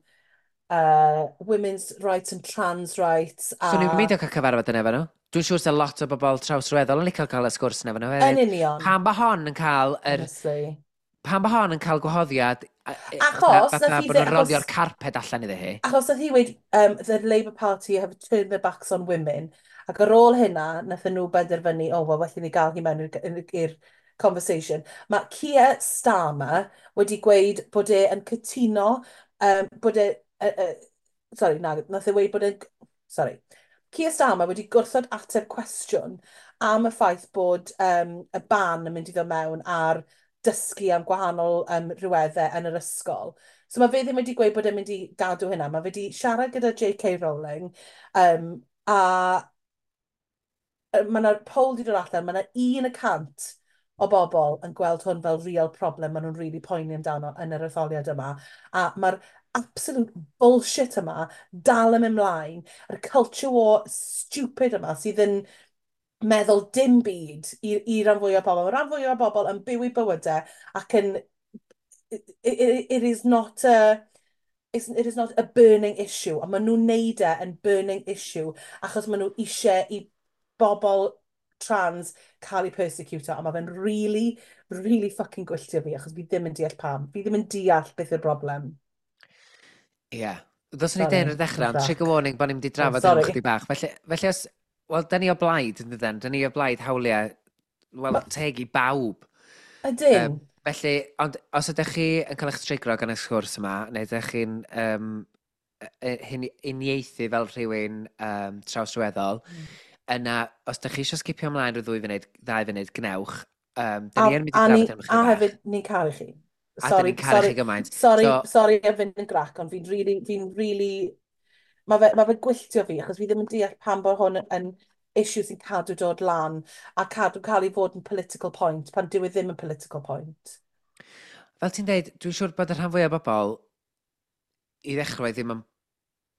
Speaker 1: uh, women's rights and trans rights. A
Speaker 2: So ni'n beidio cael cyfarfod yn efo nhw. Dwi'n siŵr sy'n lot o bobl trawsrweddol yn licio cael y sgwrs yn efo nhw
Speaker 1: Yn
Speaker 2: hefyd.
Speaker 1: union.
Speaker 2: Pam bo hon yn cael yr
Speaker 1: Honestly.
Speaker 2: Pam bo hon yn cael gwahoddiad a- e-
Speaker 1: Achos
Speaker 2: fatha
Speaker 1: nath hi
Speaker 2: bod nhw'n
Speaker 1: dde-
Speaker 2: rolio'r
Speaker 1: achos-
Speaker 2: carped allan iddi hi.
Speaker 1: Achos nath hi wedi, um, the Labour Party have turned their backs on women. Ac ar ôl hynna, nath nhw benderfynu, "O, wel, well i ni gael hi mewn i'r- i'r conversation. Mae Keir Starmer wedi gweud bod e yn cytuno, um, bod e... Uh, uh, sorry, na, nath e weud bod e... Sorry. Keir Starmer wedi gwrthod ateb cwestiwn am y ffaith bod um, y ban yn mynd i ddod mewn ar dysgu am gwahanol um, rhyweddau yn yr ysgol. So mae fe ddim wedi gweud bod e'n mynd i gadw hynna. Mae fe wedi siarad gyda J K. Rowling um, a mae yna poll wedi dod allan, mae yna un y cant o bobl yn gweld hwn fel real problem maen nhw'n really poeni amdano yn yr etholiad yma. A mae'r absolute bullshit yma dal yn mynd mlaen, yr culture war stupid yma sydd yn meddwl dim byd i, i ran fwyaf o bobl. Mae ran fwyaf o bobl yn byw eu bywydau ac yn... It, it, it is not a... It's, it is not a burning issue, a maen nhw'n neud e yn burning issue achos maen nhw eisiau i bobl trans cael eu persecuto, a mae fe'n really, really fucking gwylltio fi, achos fi ddim yn deall pam. Fi ddim yn deall beth yw'r broblem.
Speaker 2: Ie. Yeah. Ddylswn i deud ar y dechrau, ond trigger warning bod ni'n mynd i drafod oh, hyn chydig bach. Felly, felly os, wel, da ni o blaid, yn dydyn? Da ni o blaid hawliau, wel, teg i bawb.
Speaker 1: Ydyn.
Speaker 2: Um, felly, ond os ydych chi yn cael eich trigro gan y sgwrs yma, neu ydych chi'n um, hyn, uniaethu fel rhywun um, trawsryweddol, mm. yna, os ydych chi eisiau sgipio ymlaen rhyw ddwy funud, ddau funud, gnewch. Um, da ni yn mynd i drafod hyn
Speaker 1: A hefyd, ni'n caru chi.
Speaker 2: A dyn ni'n caru chi gymaint.
Speaker 1: Sorry, so, sorry am fynd yn grac, ond fi'n really, fi'n really... Mae fe, ma fe gwylltio fi, achos fi ddim yn deall pam bod hwn yn issue sy'n cadw dod lan a cadw cael ei fod yn political point, pan dyw e ddim yn political point.
Speaker 2: Fel ti'n deud, dwi'n siŵr bod y rhan fwyaf o bobl i ddechrau ddim yn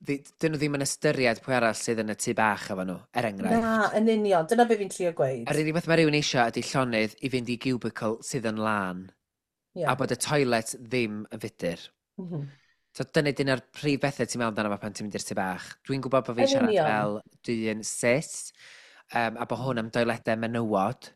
Speaker 2: dyn nhw ddim yn ystyried pwy arall sydd yn y tŷ bach efo nhw, er enghraifft.
Speaker 1: Na, yn union. Dyna be fi'n trio gweud.
Speaker 2: Yr unig beth mae rhywun eisiau ydy llonydd i fynd i cubicle sydd yn lân.
Speaker 1: Yeah.
Speaker 2: A bod y toilet ddim yn fudur.
Speaker 1: Mm -hmm.
Speaker 2: So dyna dyna'r prif bethau ti'n meddwl amdano fo pan ti'n mynd i'r tŷ bach. Dwi'n gwybod bod fi'n siarad fel dyn cis, um, a bod hwn am doiledau menywod.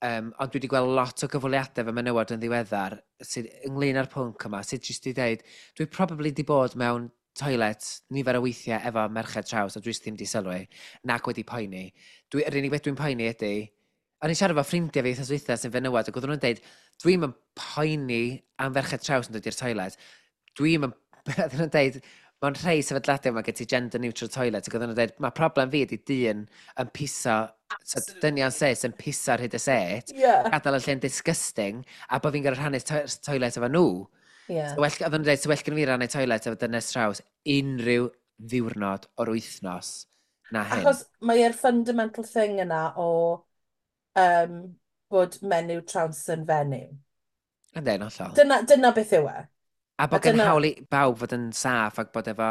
Speaker 2: Um, ond dwi wedi gweld lot o gyfweliadau fy menywod yn ddiweddar sydd ynglyn â'r pwnc yma, sydd jyst wedi dweud, dwi probably di bod mewn toilet nifer o weithiau efo merched traws a dwi jyst ddim di sylwi, nac wedi poeni. Dwi, yr unig beth dwi'n poeni ydy, o'n i'n siarad efo ffrindiau fi wythnos dwytha sy'n fenywod, ac oedden nhw'n dweud, "Dwi'm yn poeni am ferched traws yn dod i'r toilet. Dwi'm yn", oedden nhw'n dweud, mewn rhai sefydliadau mae gen ti gender neutral toilet, ac oedden nhw'n dweud, "Mae problem fi ydy dyn yn piso, so dynion cis yn piso ar hyd y set,
Speaker 1: yeah.
Speaker 2: gadael y lle'n disgusting, a bod fi'n gorfod rhannu to toilet efo nhw."
Speaker 1: Yeah.
Speaker 2: So well, oedden nhw'n dweud, so well gen fi rannu toilet efo dynes traws unrhyw ddiwrnod o'r wythnos na hyn.
Speaker 1: Achos mae'r fundamental thing yna o um, bod menyw traws yn fenyw.
Speaker 2: Yndyn, hollol.
Speaker 1: Dyna, dyna beth yw e.
Speaker 2: A bod
Speaker 1: A
Speaker 2: gen
Speaker 1: dyna-
Speaker 2: hawl i bawb fod yn saff ac bod efo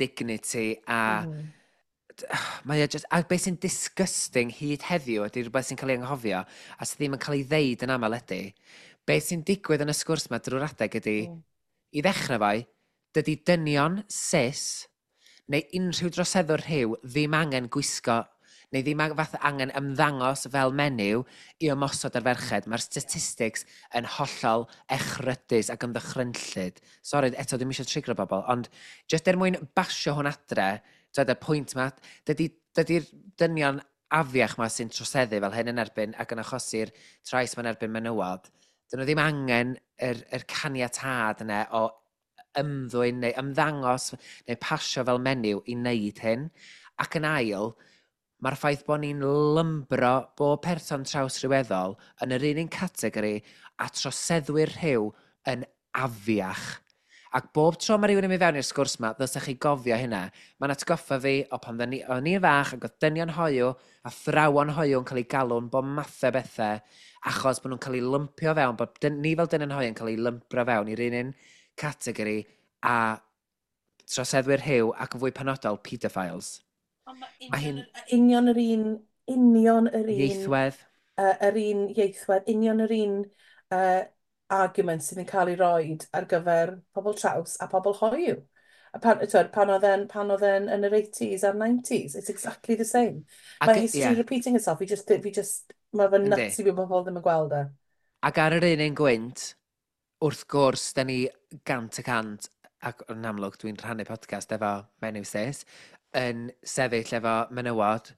Speaker 2: dignity a
Speaker 1: Mm.
Speaker 2: mae o just, a beth sy'n disgusting hyd heddiw ydy rhywbeth sy'n cael ei anghofio a sydd ddim yn cael ei ddeud yn aml ydy, beth sy'n digwydd yn y sgwrs yma drwy'r adeg ydy,
Speaker 1: Mm.
Speaker 2: i ddechrau fo, dydy dynion cis neu unrhyw droseddwr rhyw ddim angen gwisgo neu ddim ang- fath angen ymddangos fel menyw i ymosod ar ferched. Mae'r statistics yn hollol echrydus ac yn ddychrynllyd. Sori, eto dwi'n eisiau trigro bobl, ond jyst er mwyn basio hwn adre, dweud y pwynt ma, dydy, dydy'r dynion afiach ma sy'n troseddu fel hyn yn erbyn ac yn achosi'r trais ma'n erbyn menywod, dyn nhw ddim angen yr, yr caniatâd yna o ymddwyn neu ymddangos neu pasio fel menyw i wneud hyn. Ac yn ail, mae'r ffaith bod ni'n lumpio bob person trawsryweddol yn yr un un categori a troseddwyr rhyw yn afiach. Ac bob tro mae rhywun yn mynd fewn i'r sgwrs ma, ddylsech chi gofio hynna. Mae'n atgoffa fi o pan ddyn ni- o'n i'n fach ac oedd dynion hoiw a athrawon hoiw yn cael eu galw'n bob mathau bethau achos bod nhw'n cael eu lumpio fewn, bod dyn, ni fel dynion hoiw yn cael eu lumpio fewn i'r un un categori a troseddwyr rhyw ac yn fwy penodol, pedophiles.
Speaker 1: Mae hi'n union yr un, union yr un,
Speaker 2: Ieithwedd.
Speaker 1: uh, yr un ieithwedd, union yr un uh, argument sydd yn cael ei roed ar gyfer pobl traws a pobl hoyw. A pan, twyd, pan oedd e'n pan oedd e'n yn yr eighties a'r nineties, it's exactly the same.
Speaker 2: Ac,
Speaker 1: Mae history
Speaker 2: ie.
Speaker 1: repeating itself, fi just, fi just, mae fe'n
Speaker 2: Yndi.
Speaker 1: nuts i fi bod pobl ddim yn gweld e.
Speaker 2: Ac ar yr un un gwynt, wrth gwrs, da ni gant y cant, ac yn amlwg dwi'n rhannu podcast efo menyw cis, yn sefyll efo menywod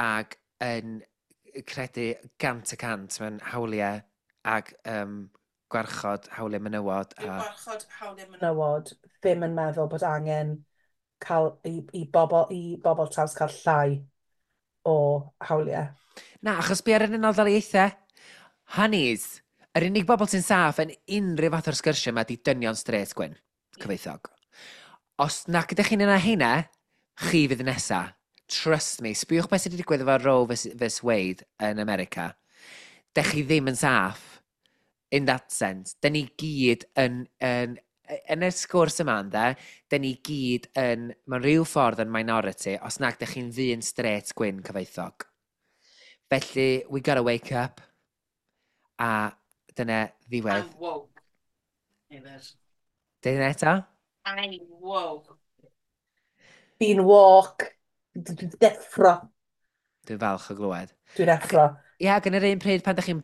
Speaker 2: ac yn credu gant y cant mewn hawliau Ac um, gwarchod hawliau menywod.
Speaker 1: Dyw
Speaker 2: A...
Speaker 1: gwarchod hawliau menywod ddim yn meddwl bod angen cael i, i, bobl, i bobl traws cael llai o hawliau.
Speaker 2: Na, achos be ar yr Unol Daleithiau? Honeys, yr unig bobl sy'n saff yn unrhyw fath o'r sgyrsiau yma di dynion straight gwyn, cyfoethog. Os nac ydych chi'n yna heina, chi fydd nesa. Trust me, sbiwch beth sydd wedi digwydd efo Roe versus Wade yn America. Dech chi ddim yn saff, in that sense. Dyn ni gyd yn, yn, yn y sgwrs yma, ynde, dyn ni gyd yn, mewn rhyw ffordd yn minority, os nag dych chi'n ddyn straight gwyn cyfoethog. Felly, we gotta wake up. A dyna ddiwedd.
Speaker 1: I'm woke. Hefyd.
Speaker 2: Dyna eto?
Speaker 1: I'm woke. Fi'n woke. Dwi'n deffro.
Speaker 2: Dwi'n falch o glywed.
Speaker 1: Dwi'n deffro.
Speaker 2: Ie, ac yn yr un pryd pan ydych chi'n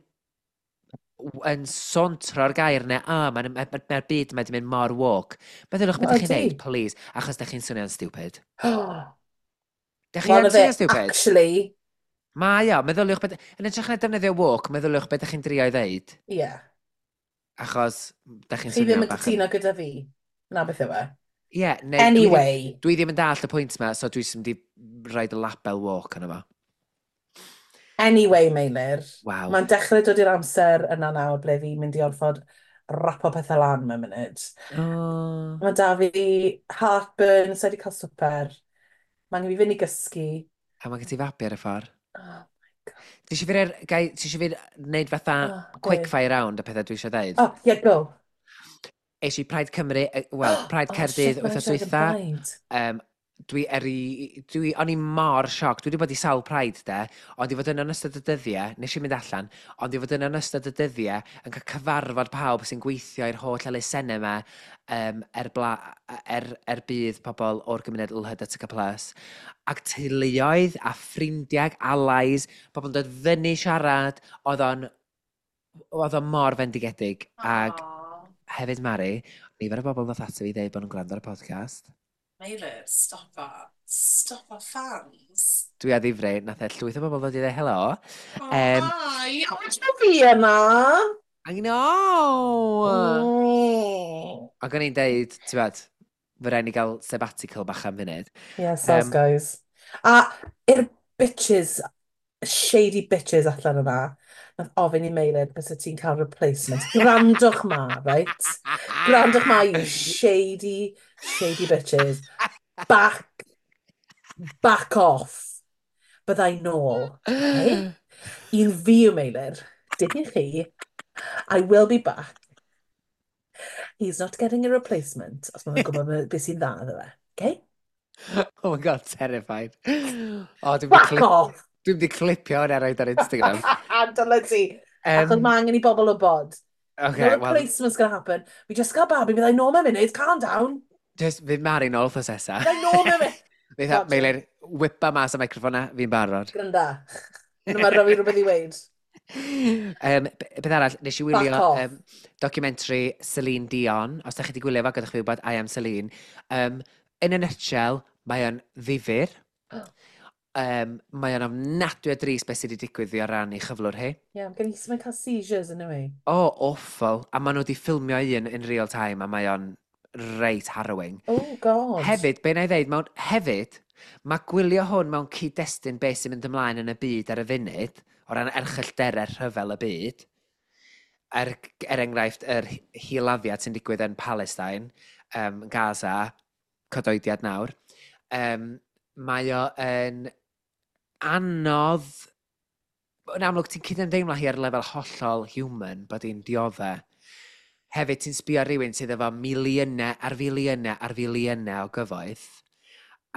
Speaker 2: yn sontro'r gair yna, a oh, mae'r ma, ma, ma byd yma wedi mynd mor woke. Meddyliwch beth ydych chi'n neud, please, achos ydych chi'n swnio'n stupid. Dych chi yn swnio'n stupid?
Speaker 1: Actually.
Speaker 2: Mae o, meddyliwch beth... Yn edrych na defnyddio woke, meddyliwch beth ydych chi'n drio i ddeud.
Speaker 1: Ie. Yeah.
Speaker 2: Achos, ydych chi'n
Speaker 1: swnio bach yn... Chi ddim yn cytuno gyda fi. Na beth yw e.
Speaker 2: Ie, yeah, neu
Speaker 1: anyway.
Speaker 2: Dwi ddim, dwi ddim yn dallt y pwynt yma, so dwi sy'n di rhaid y label woke yna fo.
Speaker 1: Anyway, Meilir.
Speaker 2: Wow.
Speaker 1: Mae'n dechrau dod i'r amser yna nawr ble fi'n mynd i orfod rapo pethau lan mewn munud.
Speaker 2: Oh.
Speaker 1: Mae da fi heartburn, so wedi cael swper. Mae'n angen fi fynd i gysgu.
Speaker 2: A mae gen ti fabi ar y ffordd.
Speaker 1: Oh my God.
Speaker 2: Ti eisiau fi, gai, ti eisiau fi wneud fatha
Speaker 1: oh,
Speaker 2: quick fire round y pethau dwi eisiau dweud?
Speaker 1: Oh, yeah, go.
Speaker 2: Es i Pride Cymru, wel, Pride
Speaker 1: oh,
Speaker 2: Caerdydd wythnos dwytha. Um, dwi eri, dwi, o'n i mor sioc. Dwi wedi bod i sawl Pride de, ond i fod yn ystod y dyddiau, nes i mynd allan, ond i fod yn ystod y dyddiau yn cael cyfarfod pawb sy'n gweithio i'r holl elusennau yma um, er, bla, er, er budd pobl o'r gymuned L H B T plus. Ac teuluoedd a ffrindiau, allies, pobl yn dod fyny siarad, oedd o'n, oedd o'n mor fendigedig. Ac hefyd, Mari, nifer o bobl ddoth ato fi ddeud bod nhw'n gwrando ar y podcast.
Speaker 1: Meilir, stop that. Stop our fans.
Speaker 2: Dwi a ddifri, nath e llwyth o bobl ddod i ddeud helo.
Speaker 1: Oh,
Speaker 2: um,
Speaker 1: hi! O, ti'n fi yna?
Speaker 2: I know!
Speaker 1: Mm.
Speaker 2: Ac o'n i'n deud, ti'n bod, fe rhaid ni gael sabbatical bach am funud.
Speaker 1: Yeah, soz
Speaker 2: um,
Speaker 1: guys. A i'r bitches, shady bitches allan yna, nath ofyn i Meilir bysa ti'n cael replacement. Gwrandwch ma, right? Gwrandwch ma, you shady, shady bitches. Back, back off. Byddai nôl, okay? Un fi yw Meilir, dim i chi. I will be back. He's not getting a replacement, os mae'n gwybod beth sy'n dda iddo fe, okay?
Speaker 2: Oh my God, terrified. Oh, dwi'n
Speaker 1: Back
Speaker 2: clip...
Speaker 1: off!
Speaker 2: Dwi'n mynd i clipio hwnna roed ar Instagram.
Speaker 1: Dyle ti.
Speaker 2: Um,
Speaker 1: Achos mae angen i bobl wybod.
Speaker 2: Okay,
Speaker 1: no
Speaker 2: well,
Speaker 1: replacement's gonna happen. We just got babi, byddai nôl mewn munud, calm down.
Speaker 2: Just, fydd Mari nôl wrthos nesa.
Speaker 1: Byddai nôl mewn munud.
Speaker 2: Fydd Meilir, whipa mas y microffon na, fi'n barod.
Speaker 1: Granda. Mae rhaid fi rhywbeth i weid.
Speaker 2: Um, beth arall, nes i wylio um, documentary Celine Dion. Os da chi wedi gwylio fo, gadwch fi wybod, I am Celine. Um, in a nutshell, mae o'n ddifyr. Um, mae o'n ofnadwy o drist beth sydd wedi digwydd i o ran ei chyflwr hi.
Speaker 1: Ie, yeah, gen i mae'n cael seizures yn yw.
Speaker 2: Oh, awful. A maen nhw wedi ffilmio un in real time a mae o'n reit harrowing.
Speaker 1: Oh, God.
Speaker 2: Hefyd, be na i ddeud, mewn, hefyd, mae gwylio hwn mewn cyd-destun beth sy'n mynd ymlaen yn y byd ar y funud, o ran erchyllterau rhyfel y byd, er, er enghraifft, yr hil-laddiad sy'n digwydd yn Palestine, um, Gaza, cadoediad nawr, um, mae o yn anodd, yn amlwg ti'n cydymdeimlo hi ar lefel hollol human bod hi'n diodde. Hefyd ti'n sbio ar rywun sydd efo miliynau ar filiynau ar filiynau o gyfoeth,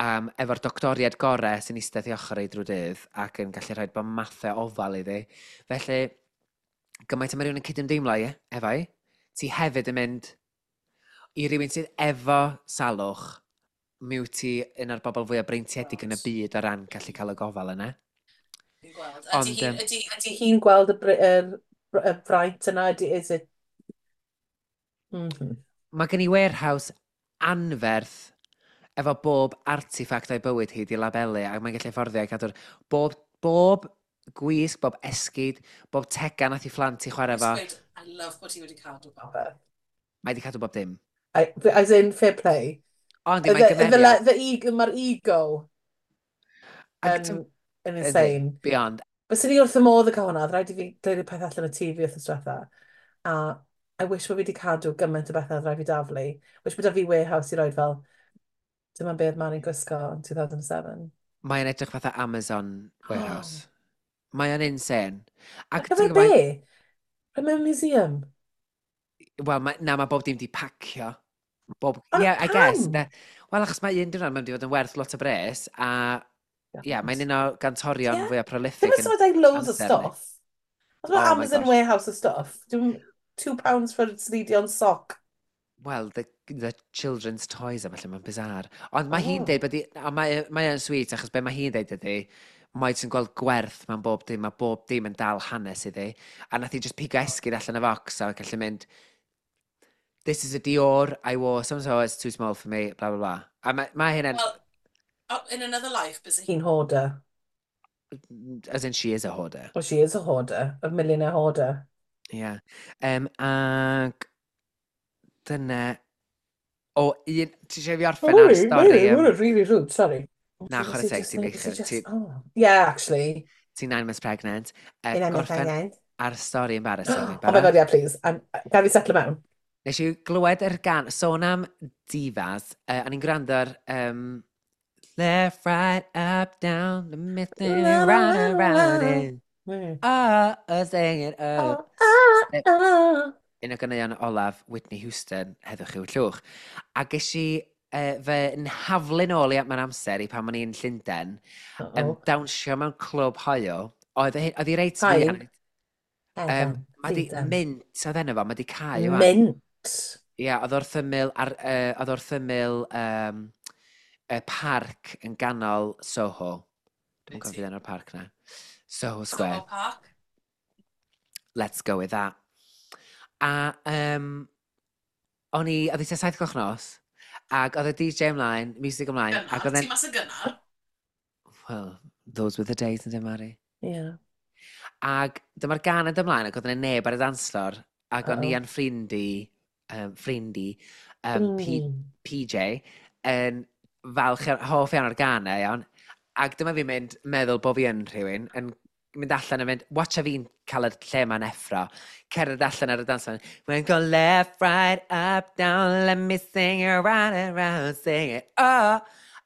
Speaker 2: um, efo'r doctoriad gorau sy'n eistedd i ochr ei drwy dydd ac yn gallu rhoi bod mathau ofal iddi. Felly, gymaint mae rhywun yn cydymdeimlo i, efo i, ti hefyd yn mynd i rywun sydd efo salwch, mi wyt ti un o'r bobl fwyaf breintiedig yn y byd o ran gallu cael y gofal yna.
Speaker 1: Fi'n gweld.
Speaker 2: Ond,
Speaker 1: Ydy
Speaker 2: um,
Speaker 1: hi, ydy hi'n gweld y, y, y fraint yna? Ydy, is it... Mm-hmm.
Speaker 2: Mae gen i warehouse anferth efo bob artifact o'i bywyd hi di labelu ac mae'n gallu fforddio i cadw'r bob, bob gwisg, bob esgid, bob tegan nath i phlant i chwarae fo.
Speaker 1: Gweud, I love bod hi wedi cadw popeth.
Speaker 2: Mae wedi cadw bob dim.
Speaker 1: I, as in, fair play.
Speaker 2: Ond
Speaker 1: The,
Speaker 2: mae'n
Speaker 1: the,
Speaker 2: gymeriad.
Speaker 1: the ego, mae'r ego
Speaker 2: Ac
Speaker 1: yn,
Speaker 2: ti'n-
Speaker 1: yn
Speaker 2: yndi,
Speaker 1: insane.
Speaker 2: Beyond.
Speaker 1: Bys ni wrth y modd yn cael hwnna, oedd rhaid i fi glirio peth allan o tŷ fi wrth diwetha. A I wish bod fi wedi cadw gymaint o bethau oedd rhaid fi daflu. Wish bod 'da fi warehouse i roed fel, dyma beth Mari'n gwisgo yn two thousand seven.
Speaker 2: Mae'n edrych fatha Amazon warehouse. Mae o'n insane.
Speaker 1: Ar
Speaker 2: Ac ti'n
Speaker 1: gyfer
Speaker 2: gwbod,
Speaker 1: be? Rhaid mewn museum.
Speaker 2: Wel, ma, na, mae bob dim di pacio. Bob,
Speaker 1: Ond
Speaker 2: yeah, I guess.
Speaker 1: pam?
Speaker 2: De, wel, achos mae un diwrnod mae'n di fod yn werth lot o bres, a ie, yeah, mae'n un o gantorion
Speaker 1: Ie.
Speaker 2: fwyaf
Speaker 1: Ddim
Speaker 2: prolific
Speaker 1: yn
Speaker 2: yn
Speaker 1: symud loads o
Speaker 2: amser ni.
Speaker 1: stuff. Os mae
Speaker 2: Oh my
Speaker 1: Amazon
Speaker 2: gosh.
Speaker 1: warehouse o stuff. Dwi'n two pounds for Celine Dion sock.
Speaker 2: Well, the, the children's toys a falle, mae'n bizarre. Ond mae hi'n
Speaker 1: Oh.
Speaker 2: deud, bod hi, a mae, mae o'n sweet, achos be mae hi'n deud ydy, mae jyst yn gweld gwerth mewn bob dim, mae bob dim yn dal hanes iddi. A nath hi just pigo esgid allan y focs a gallu mynd, "This is a Dior I wore, so and so, it's too small for me, blah, blah, blah." A mae, mae hynna'n,
Speaker 1: Well, oh, in another life, bys hi'n hoarder.
Speaker 2: As in she is a hoarder.
Speaker 1: Well, she is a hoarder. A millionaire hoarder.
Speaker 2: Yeah. Um, ag dyna. O, un. Ti eisiau fi orffen ar stori? Um,
Speaker 1: Really rude, sorry.
Speaker 2: Na, chwarae teg, ti'n beichio. Ti-
Speaker 1: Oh. Yeah, actually.
Speaker 2: Ti'n nine months pregnant. Uh,
Speaker 1: Nine months
Speaker 2: gorffen
Speaker 1: pregnant.
Speaker 2: ar stori embarrassing.
Speaker 1: Oh my God, yeah, please. I'm, gad fi settle mewn.
Speaker 2: Nes i glywed yr gan, sôn am divas, uh, o'n i'n gwrando ar um, "Left, right, up, down, the missing round and round and
Speaker 1: Mm.
Speaker 2: oh, oh, sing it, oh."
Speaker 1: Oh, ah, ah.
Speaker 2: Un o ganeuon olaf Whitney Houston, heddwch i'w llwch. A ges i uh, fy nhaflu nôl i mewn amser i pan o'n i'n Llundain, yn
Speaker 1: Uh-oh.
Speaker 2: dawnsio mewn clwb hoyw. Oedd hi oedd hi reit
Speaker 1: Hain.
Speaker 2: fuan. Um, mae di
Speaker 1: Llundain.
Speaker 2: Mint oedd enw fo, mae di cau wan.
Speaker 1: Mint.
Speaker 2: Ie, yeah, oedd wrth ymyl, ar, uh, oedd wrth ymyl um, y parc yn ganol Soho. Dwi'n cofio enw'r parc na. Soho Square.
Speaker 1: Park.
Speaker 2: Let's go with that. A um, o'n i, oedd hi tua saith gloch nos, ac oedd y D J ymlaen, music ymlaen, ac oedd e'n
Speaker 1: mas yn gynnar.
Speaker 2: Well, those were the days, yn Mari.
Speaker 1: Yeah.
Speaker 2: Ac dyma'r gan yn ymlaen, ac oedd yna neb ar y dance floor, ac o'n i
Speaker 1: Uh-oh.
Speaker 2: a'n ffrind i, um, ffrind i, um, P,
Speaker 1: Mm.
Speaker 2: P J, yn falch, iawn- hoff iawn o'r gan e, iawn. Ac dyma fi'n mynd, meddwl bod fi yn rhywun, yn mynd allan a mynd, watcha fi'n cael y lle ma'n effro. Cerdded allan ar y dance floor. "We're go left, right, up, down, let me sing it round and round, sing it, oh."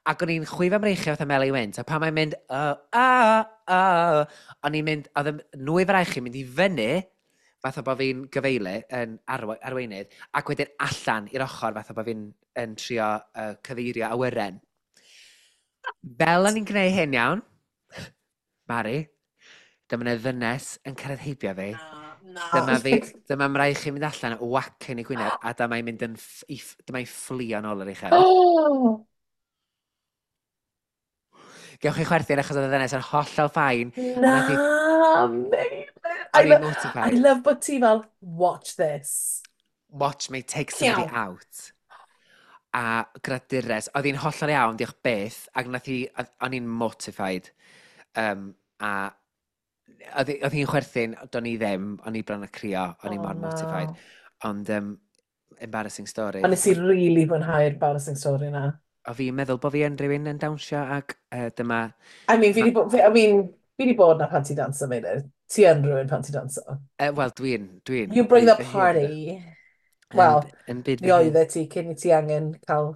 Speaker 2: Ac o'n i'n chwifio mreichiau fatha Meli Wynt, a pan mae'n mynd, "Oh, oh, oh," o'n i'n mynd, oedd y nwy fraich i'n mynd i fyny, fatha bod fi'n gyfeili yn arwe arweinydd, ac wedyn allan i'r ochr fatha bod fi'n yn trio uh, cyfeirio awyren. Fel o'n i'n gwneud hyn iawn, Mari, dyma yna ddynes yn cyrraedd heibio fi.
Speaker 1: Na.
Speaker 2: Dyma fi, dyma mraich i'n mynd allan, whack yn ei gwyneb, a dyma i'n mynd yn, ff- i ff- dyma i'n fflio nôl ar ei chefn.
Speaker 1: Oh!
Speaker 2: Gewch chi chwerthin achos oedd y ddynes yn hollol fine.
Speaker 1: Na,
Speaker 2: nath hi-
Speaker 1: Meilir. I,
Speaker 2: O'n i'n
Speaker 1: lo I
Speaker 2: mortified.
Speaker 1: love bod ti fel, "Watch this."
Speaker 2: "Watch me take somebody
Speaker 1: Ciao.
Speaker 2: out." A gradures, oedd hi'n hollol iawn, diolch byth, ac nath hi, oedd- o'n i'n mortified. Um, a oedd hi- oedd hi'n chwerthin, do'n i ddim, o'n i bron a crio, o'n i
Speaker 1: Oh,
Speaker 2: mor
Speaker 1: no.
Speaker 2: mortified. Ond, um, embarrassing story.
Speaker 1: Ond nes i really fwynhau'r embarrassing story na.
Speaker 2: O fi'n meddwl bod fi yn rhywun yn dawnsio ac uh, dyma.
Speaker 1: I mean, fi di bod, fi, I mean, fi di bod na pan ti danso, Meilir. Ti yn rhywun pan ti danso.
Speaker 2: Uh, Wel, dwi'n... Dwi'n
Speaker 1: You bring
Speaker 2: byd
Speaker 1: the
Speaker 2: fy hun,
Speaker 1: party.
Speaker 2: ynde?
Speaker 1: Wel,
Speaker 2: Yn, yn byd
Speaker 1: mi
Speaker 2: fy hun.
Speaker 1: oeddet ti cyn i ti angen cael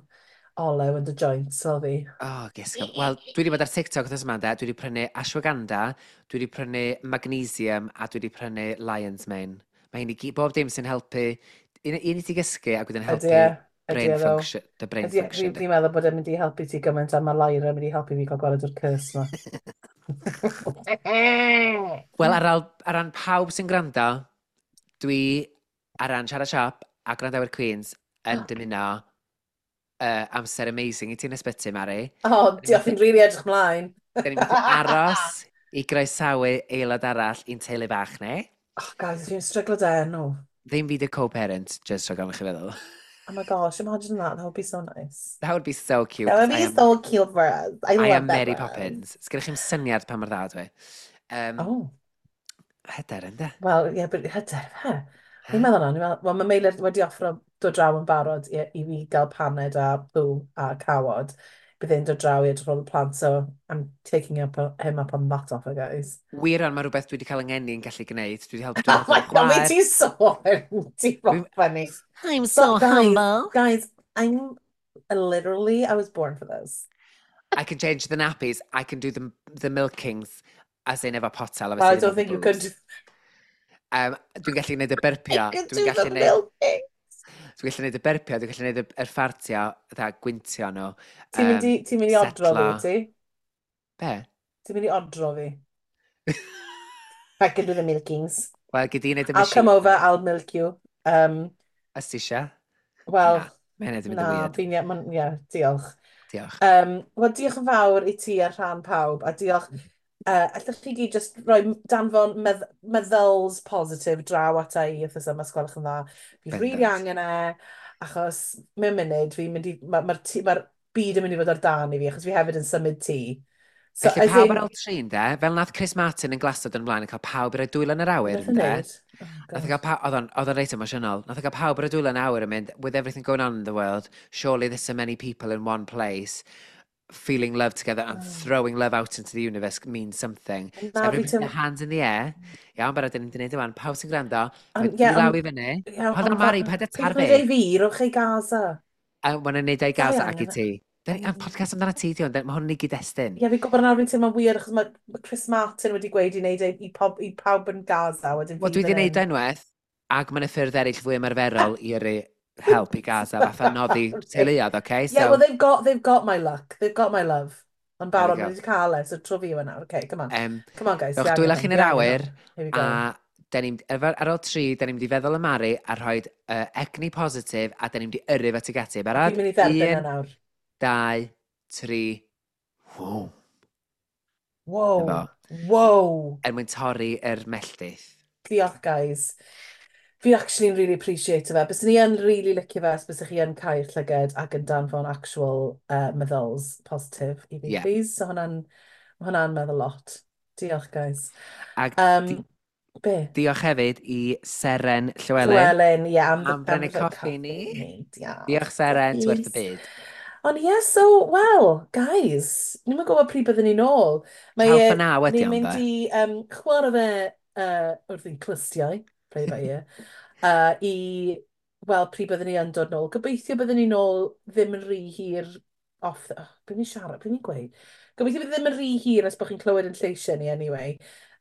Speaker 1: olew yn dy joints, fel fi.
Speaker 2: Oh, gisgo. Wel, dwi wedi bod ar TikTok wrth yma, de. Dwi wedi prynu ashwagandha, dwi wedi prynu magnesium, a dwi wedi prynu lion's mane. Mae hyn i gyd, bob dim sy'n helpu, un, un i ti gysgu ac wedyn
Speaker 1: Ydy
Speaker 2: helpu
Speaker 1: e, ydy
Speaker 2: brain
Speaker 1: e ddo.
Speaker 2: function, the brain
Speaker 1: Ydy e,
Speaker 2: function.
Speaker 1: fi'n meddwl bod e'n mynd i helpu ti gymaint a mae Lyra yn mynd i helpu fi cael gwared o'r curse ma.
Speaker 2: Wel, ar, al, ar ran pawb sy'n gwrando, dwi ar ran Siarad Siop a gwrandawyr Queens yn dymuno uh, amser amazing i ti'n ysbyty, Mari.
Speaker 1: O, diolch, fi'n rili edrych mlaen.
Speaker 2: Da ni'n methu aros i groesawu aelod arall i'n teulu bach ni.
Speaker 1: Oh, guys, fi'n stryglo da enw.
Speaker 2: Ddim fi dy co-parent, just rhag ofn i chi feddwl.
Speaker 1: Oh my gosh, imagine that. That would be so nice.
Speaker 2: That would be so cute.
Speaker 1: That would
Speaker 2: 'Cause I
Speaker 1: be
Speaker 2: am,
Speaker 1: so cute for us. I
Speaker 2: I
Speaker 1: love
Speaker 2: am
Speaker 1: that
Speaker 2: Mary
Speaker 1: for us.
Speaker 2: Poppins. Sgynnych chi'm syniad pa mor dda dwi. Um,
Speaker 1: Oh.
Speaker 2: Hyder, ynde?
Speaker 1: Wel, ie, yeah, but hyder, fe.
Speaker 2: Ha?
Speaker 1: Ni'n meddwl na, ni'n meddwl, wel, mae Meilir wedi offro dod draw yn barod i, i fi gael paned a bw a cawod. Bydd e'n dod draw i edrych ar ôl y plant, so I'm taking up, him up on that offer, guys.
Speaker 2: Wir ond mae rhywbeth dwi wedi cael yng ngeni yn gallu gwneud. Dwi wedi helpu, dwi
Speaker 1: Oh my
Speaker 2: wedi helpu
Speaker 1: God,
Speaker 2: chwaer.
Speaker 1: ti sôn, ti'n
Speaker 2: Dwi'n-
Speaker 1: funny.
Speaker 2: I'm
Speaker 1: So,
Speaker 2: so
Speaker 1: guys,
Speaker 2: humble.
Speaker 1: Guys, I'm literally, I was born for this.
Speaker 2: I can change the nappies, I can do the, the milkings, as in efo potel,
Speaker 1: Well, I
Speaker 2: obviously, ddim
Speaker 1: don't
Speaker 2: efo
Speaker 1: think you
Speaker 2: boobs.
Speaker 1: could.
Speaker 2: Um, dwi'n gallu gwneud y
Speaker 1: I
Speaker 2: byrpio,
Speaker 1: could
Speaker 2: dwi'n
Speaker 1: do
Speaker 2: gallu
Speaker 1: the
Speaker 2: gwneud,
Speaker 1: milking.
Speaker 2: dwi'n gallu gwneud y byrpio, dwi'n gallu gwneud y, yr ffartio, dda, gwyntio nhw.
Speaker 1: Ti'n mynd i, ti'n mynd i odro fi,
Speaker 2: setlo.
Speaker 1: wyt ti?
Speaker 2: Be?
Speaker 1: Ti'n mynd i odro fi? I can do the milkings.
Speaker 2: Wel, gyd i wneud y
Speaker 1: I'll
Speaker 2: machine.
Speaker 1: come over, I'll milk you. Um,
Speaker 2: Os ti eisiau?
Speaker 1: Wel,
Speaker 2: Na, mae hynny wedi mynd yn
Speaker 1: na,
Speaker 2: weird.
Speaker 1: fi'n, ie, ma'n- ie, diolch.
Speaker 2: Diolch.
Speaker 1: Um, Wel, diolch yn fawr i ti ar rhan pawb, a diolch. Uh, allwch chi gyd just rhoi danfon medd meddyls positif draw ata i wythnos yma, os gwelwch yn dda. Fi really
Speaker 2: Bendant.
Speaker 1: angen e, achos mewn munud, fi'n mynd i, mae'r ma, ma mae'r byd yn mynd i fod ar dan i fi, achos fi hefyd yn symud tŷ. So,
Speaker 2: Felly
Speaker 1: as
Speaker 2: pawb
Speaker 1: in,
Speaker 2: ar ôl tri, ynde? Fel nath Chris Martin yn Glasgow yn ymlaen yn cael pawb i roi dwylo yn yr awyr,
Speaker 1: Nath e
Speaker 2: ynde?
Speaker 1: wneud? Oh,
Speaker 2: Nath e
Speaker 1: God.
Speaker 2: gael pawb, oedd o'n oedd o'n reit emosiynol. Nath e gael pawb ar y dwylo yn awyr yn mynd, "With everything going on in the world, surely there's so many people in one place feeling love together and
Speaker 1: Oh.
Speaker 2: throwing love out into the universe means something." So
Speaker 1: Na, fi
Speaker 2: everybody put
Speaker 1: teimlo
Speaker 2: their hands in the air. Iawn, barod, dyn ni'n gwneud yma. Pawb sy'n gwrando, rhoi
Speaker 1: Ond, ie,
Speaker 2: dwy law
Speaker 1: ond
Speaker 2: i fyny.
Speaker 1: Ie,
Speaker 2: Hold
Speaker 1: ond
Speaker 2: on, Mari, paid â
Speaker 1: peidiwch
Speaker 2: tarfu.
Speaker 1: wneud ei fi, rhowch ei Gaza.
Speaker 2: A ma'n wneud ei
Speaker 1: Sai
Speaker 2: Gaza ac i
Speaker 1: angen e.
Speaker 2: ti. Dyn ni, am podcast amdano ti, di hwn, mae hwn yn ei gyd-destun.
Speaker 1: Ie, fi'n gwybod nawr fi'n teimlo'n weird achos mae ma Chris Martin wedi gweud i wneud e i, pob, i pawb yn Gaza, wedyn
Speaker 2: Wel,
Speaker 1: fi
Speaker 2: dwi wedi
Speaker 1: fan
Speaker 2: gwneud
Speaker 1: hyn.
Speaker 2: unwaith, ac mae'n y ffyrdd eraill fwy ymarferol i yrru help i Gaza, fatha noddi teuluoedd, oce?
Speaker 1: Yeah,
Speaker 2: So,
Speaker 1: well, they've got, they've got my luck. They've got my love. Ond
Speaker 2: there we
Speaker 1: barod,
Speaker 2: go.
Speaker 1: maen nhw wedi cael e, so tro fi yw e nawr. Okay, come on.
Speaker 2: Um,
Speaker 1: Come on, guys.
Speaker 2: Rhowch
Speaker 1: Fi
Speaker 2: dwylo
Speaker 1: angen
Speaker 2: chi'n
Speaker 1: hwn,
Speaker 2: yr
Speaker 1: fi angen
Speaker 2: awyr,
Speaker 1: hwn. Here we go.
Speaker 2: a dyn ni'n, ar ôl tri, dyn ni'n mynd i feddwl am Mari a rhoi uh, egni positif, a dyn ni'n mynd i yrru fe tuag ati. Barod?
Speaker 1: Fi'n mynd i dderbyn e
Speaker 2: Un,
Speaker 1: nawr.
Speaker 2: dau, tri, ww.
Speaker 1: Wow.
Speaker 2: Efo.
Speaker 1: Wow.
Speaker 2: Er mwyn torri yr melltith.
Speaker 1: Diolch, guys. Fi actually yn really appreciate fe. Byswn ni yn really licio fe os bysych chi yn cau'r llyged ac yn danfon actual uh, meddyls positif i fi,
Speaker 2: Yeah.
Speaker 1: please. So hwnna'n ma hwnna'n meddwl lot. Diolch, guys.
Speaker 2: Ac
Speaker 1: Um,
Speaker 2: di
Speaker 1: be?
Speaker 2: diolch hefyd i Seren Llywelyn
Speaker 1: Llywelyn, ie, am,
Speaker 2: am
Speaker 1: am
Speaker 2: brynu
Speaker 1: the
Speaker 2: coffi ni.
Speaker 1: ni. Diolch.
Speaker 2: Diolch Seren, ti werth y
Speaker 1: Please.
Speaker 2: byd.
Speaker 1: Ond ie, so, well, guys, ni'n mynd gwybod pryd byddwn ni nôl. Mae
Speaker 2: Ciao
Speaker 1: e,
Speaker 2: for now ydi
Speaker 1: ni'n
Speaker 2: ond
Speaker 1: mynd
Speaker 2: de.
Speaker 1: i um, chwarae fe uh, wrth ein clustiau, play by ear, uh, i weld pryd byddwn ni yn dod nôl. Gobeithio byddwn ni nôl ddim yn rhy hir off... The, oh, be ni'n siarad, be ni'n gweud? Gobeithio bydd ddim yn rhy hir os bod chi'n clywed yn lleisiau ni anyway.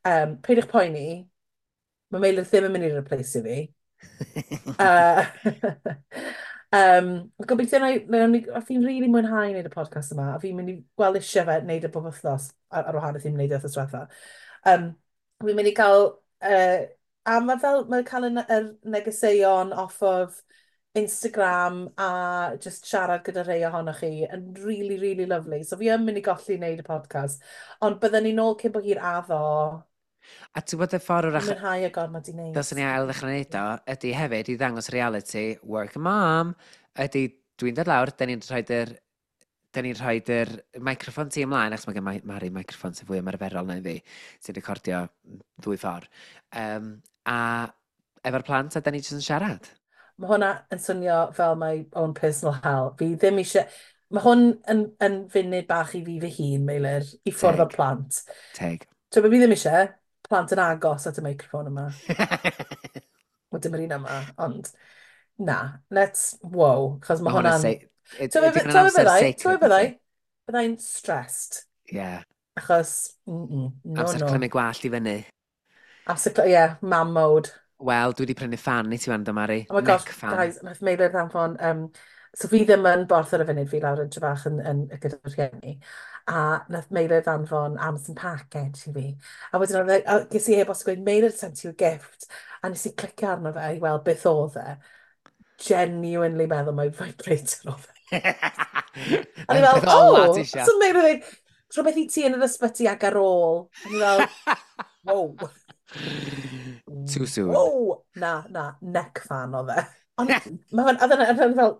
Speaker 1: Um, peidiwch poeni, mae Meilir ddim yn mynd i replace fi. Uh, um, gobeithio na, na, na, a fi'n really mwynhau wneud y podcast yma, a fi'n mynd i gweld eisiau fe wneud y bob wythnos, ar, ar wahanol i'n wneud e wythnos diwetha. Um, fi'n mynd i gael, uh, a mae fel, mae cael y, yr negeseuon off of Instagram a just siarad gyda rhai ohonoch chi yn really, really lovely. So fi yn mynd i golli wneud y podcast. Ond byddwn ni nôl cyn bo hir addo.
Speaker 2: A ti'n gwybod y ffordd wrach
Speaker 1: Mwynhau y gormod i wneud.
Speaker 2: dylswn ni ail ddechrau wneud o, ydy hefyd i ddangos reality, work mom, ydy dwi'n dod lawr, da ni'n rhoi'r da ni'n rhoi'r microffon ti ymlaen, achos mae gen Mari microffon sy'n fwy ymarferol na i fi, sy'n recordio ddwy ffordd. Um, a efo'r plant, a da ni jyst yn siarad.
Speaker 1: Mae hwnna yn swnio fel my own personal hell. Fi ddim eisiau. Mae hwn yn, yn funud bach i fi fy hun, Meilir, i ffwrdd o'r
Speaker 2: Teg.
Speaker 1: plant.
Speaker 2: Teg.
Speaker 1: So, be fi ddim eisiau, plant yn agos at y microffon yma. Wel, dim yr un yma, ond na, let's, wow, chos mae
Speaker 2: Mae hwn yn
Speaker 1: hwnna'n
Speaker 2: sei...
Speaker 1: Ti'n
Speaker 2: Ydy
Speaker 1: be
Speaker 2: hwnna'n amser
Speaker 1: byddai? Ti'n
Speaker 2: sacred
Speaker 1: be
Speaker 2: i
Speaker 1: byddai?
Speaker 2: ti?
Speaker 1: Byddai'n stressed.
Speaker 2: Yeah.
Speaker 1: Achos, mm -mm, no,
Speaker 2: Amser
Speaker 1: no.
Speaker 2: clymu gwallt i fyny.
Speaker 1: Amser, yeah, mam mode.
Speaker 2: Wel, dwi wedi prynu fan i ti wan, do Mari.
Speaker 1: Oh my gosh,
Speaker 2: Neck fan.
Speaker 1: guys, nath Meilir ddanfon, um, so fi ddim yn Borth ar y funud, fi lawr yn Trefach yn, yn, gyda rhieni, a nath Meilir ddanfon Amazon package i fi. A wedyn oedd e- a ges i e-bost gweud, "Meilir sent you a gift," a nes i clicio arno fe i weld beth oedd e. Genuinely meddwl mai vibrator oedd e. A ni
Speaker 2: Na'r
Speaker 1: fel,
Speaker 2: peth ola
Speaker 1: oh,
Speaker 2: ti isio.
Speaker 1: So Meilir dweud, "Rhywbeth i ti yn yr ysbyty ac ar ôl." A ni fel, wow.
Speaker 2: Too soon.
Speaker 1: Wow! Na, na, neck fan oedd e. Ond mae hwn, oedd e'n fel,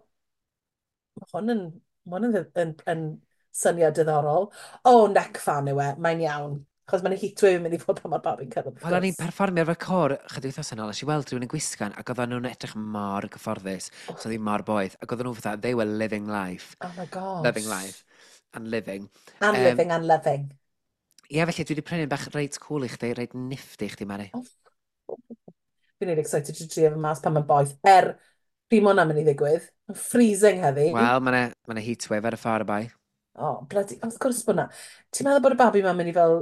Speaker 1: mae hwn yn, ma hwn yn, yn, yn syniad diddorol. Oh, neck fan yw e, mae'n iawn. Achos mae'n heatwave yn mynd i fod pan mae'r babi'n cyrraedd, wrth
Speaker 2: Wel, o'n i'n
Speaker 1: gwrs.
Speaker 2: perfformio efo'r cor chydig wythnos yn ôl, nes i weld rhywun yn gwisgan, ac oedden nhw'n edrych mor gyfforddus.
Speaker 1: Oh,
Speaker 2: So oedd hi mor boeth. Ac oedden nhw fatha, they were living life.
Speaker 1: oh my
Speaker 2: Loving
Speaker 1: gosh.
Speaker 2: life. And living.
Speaker 1: And
Speaker 2: Um,
Speaker 1: living and loving.
Speaker 2: Ie, yeah, felly dwi wedi prynu bach reit cool i chdi, reit nifty i chdi, Mari.
Speaker 1: Oh, fi'n really excited to trio fe mas pan mae'n boeth. Er, pryd mae hwnna'n mynd i ddigwydd? Mae'n freezing heddi.
Speaker 2: Wel, mae yna ma heatwave ar y ffordd bai.
Speaker 1: Oh, bloody, wrth gwrs bod na. Ti'n meddwl bod y babi ma'n mynd i fel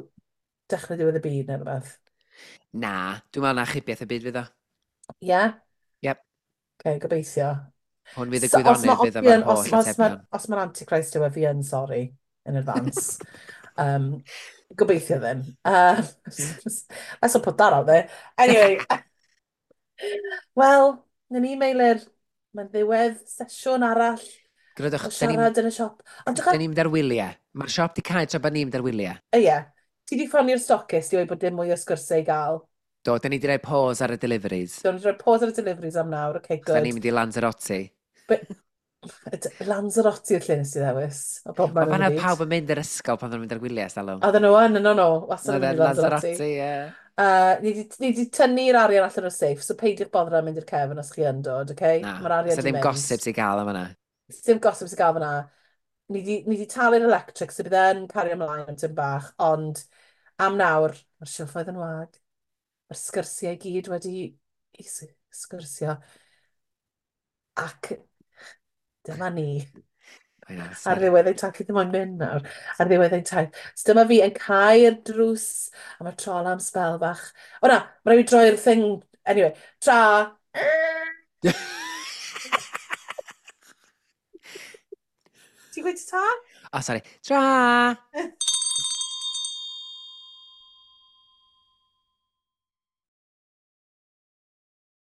Speaker 1: dechrau diwedd y byd neu rhywbeth?
Speaker 2: Na, dwi'n meddwl na achubiaeth y byd fydd o.
Speaker 1: Ie? Yeah?
Speaker 2: Yep.
Speaker 1: Okay, gobeithio.
Speaker 2: Hwn fydd y
Speaker 1: So, os ma,
Speaker 2: gwyddonydd
Speaker 1: os
Speaker 2: fydd
Speaker 1: fi
Speaker 2: efo'r
Speaker 1: yn, os,
Speaker 2: holl
Speaker 1: os mae'r
Speaker 2: atebion.
Speaker 1: os mae'r Antichrist yw e, fi yn sorry in advance. Um, gobeithio ddim. Uh, let's not put that out there. Anyway, wel, na ni, Meilir, mae'n ddiwedd sesiwn arall
Speaker 2: Gwrandwch,
Speaker 1: o
Speaker 2: da ni'n
Speaker 1: siarad yn y siop. Ond
Speaker 2: da ni'n mynd ar wyliau. Mae'r siop di cau tra bod ni'n mynd ar wyliau.
Speaker 1: Ie, ti di ffonio'r stockist i weud bod dim mwy o sgwrsau i gael.
Speaker 2: Do, da ni di rhoi pause ar y deliveries.
Speaker 1: Do, ni di rhoi pause ar y deliveries am nawr, okay,
Speaker 2: Da
Speaker 1: good.
Speaker 2: ni'n mynd i Lanzarote.
Speaker 1: But, Lanzarote yw'r lle nes ti ddewis, o bob
Speaker 2: Wel,
Speaker 1: man yn
Speaker 2: fan
Speaker 1: y
Speaker 2: oedd
Speaker 1: byd.
Speaker 2: pawb yn mynd i'r ysgol pan oedden nhw'n mynd ar gwyliau, stalwm.
Speaker 1: Oedden nhw yn, yn nhw, wastad yn
Speaker 2: Oedd
Speaker 1: mynd
Speaker 2: e'n
Speaker 1: i Lanzarote.
Speaker 2: Lanzarote, ie.
Speaker 1: Uh, ni di, ni di tynnu'r arian allan o'r safe, so peidiwch boddran mynd i'r cefn os chi yn dod, okay?
Speaker 2: Na,
Speaker 1: Mae'r arian
Speaker 2: so
Speaker 1: di
Speaker 2: ddim
Speaker 1: mynd.
Speaker 2: gossip i gael am yna.
Speaker 1: Dim gossip sy'n gael fyna. Ni di, ni di talu'r electric, so bydd e'n cario ymlaen am tym bach, ond am nawr, mae'r silffoedd yn wag. Mae'r sgyrsiau i gyd wedi i sgwrsio. Ac dyma ni.
Speaker 2: I know,
Speaker 1: Ar
Speaker 2: sorry.
Speaker 1: ddiwedd ein taith, ddim ond mynd nawr. Ar ddiwedd ein taith. So dyma fi yn cau'r drws, a mae'r trola am sbel bach. O na, mae rhaid i fi droi'r thing. Anyway, tra! Ti'n gweud ta?
Speaker 2: Oh, sorry. Tra!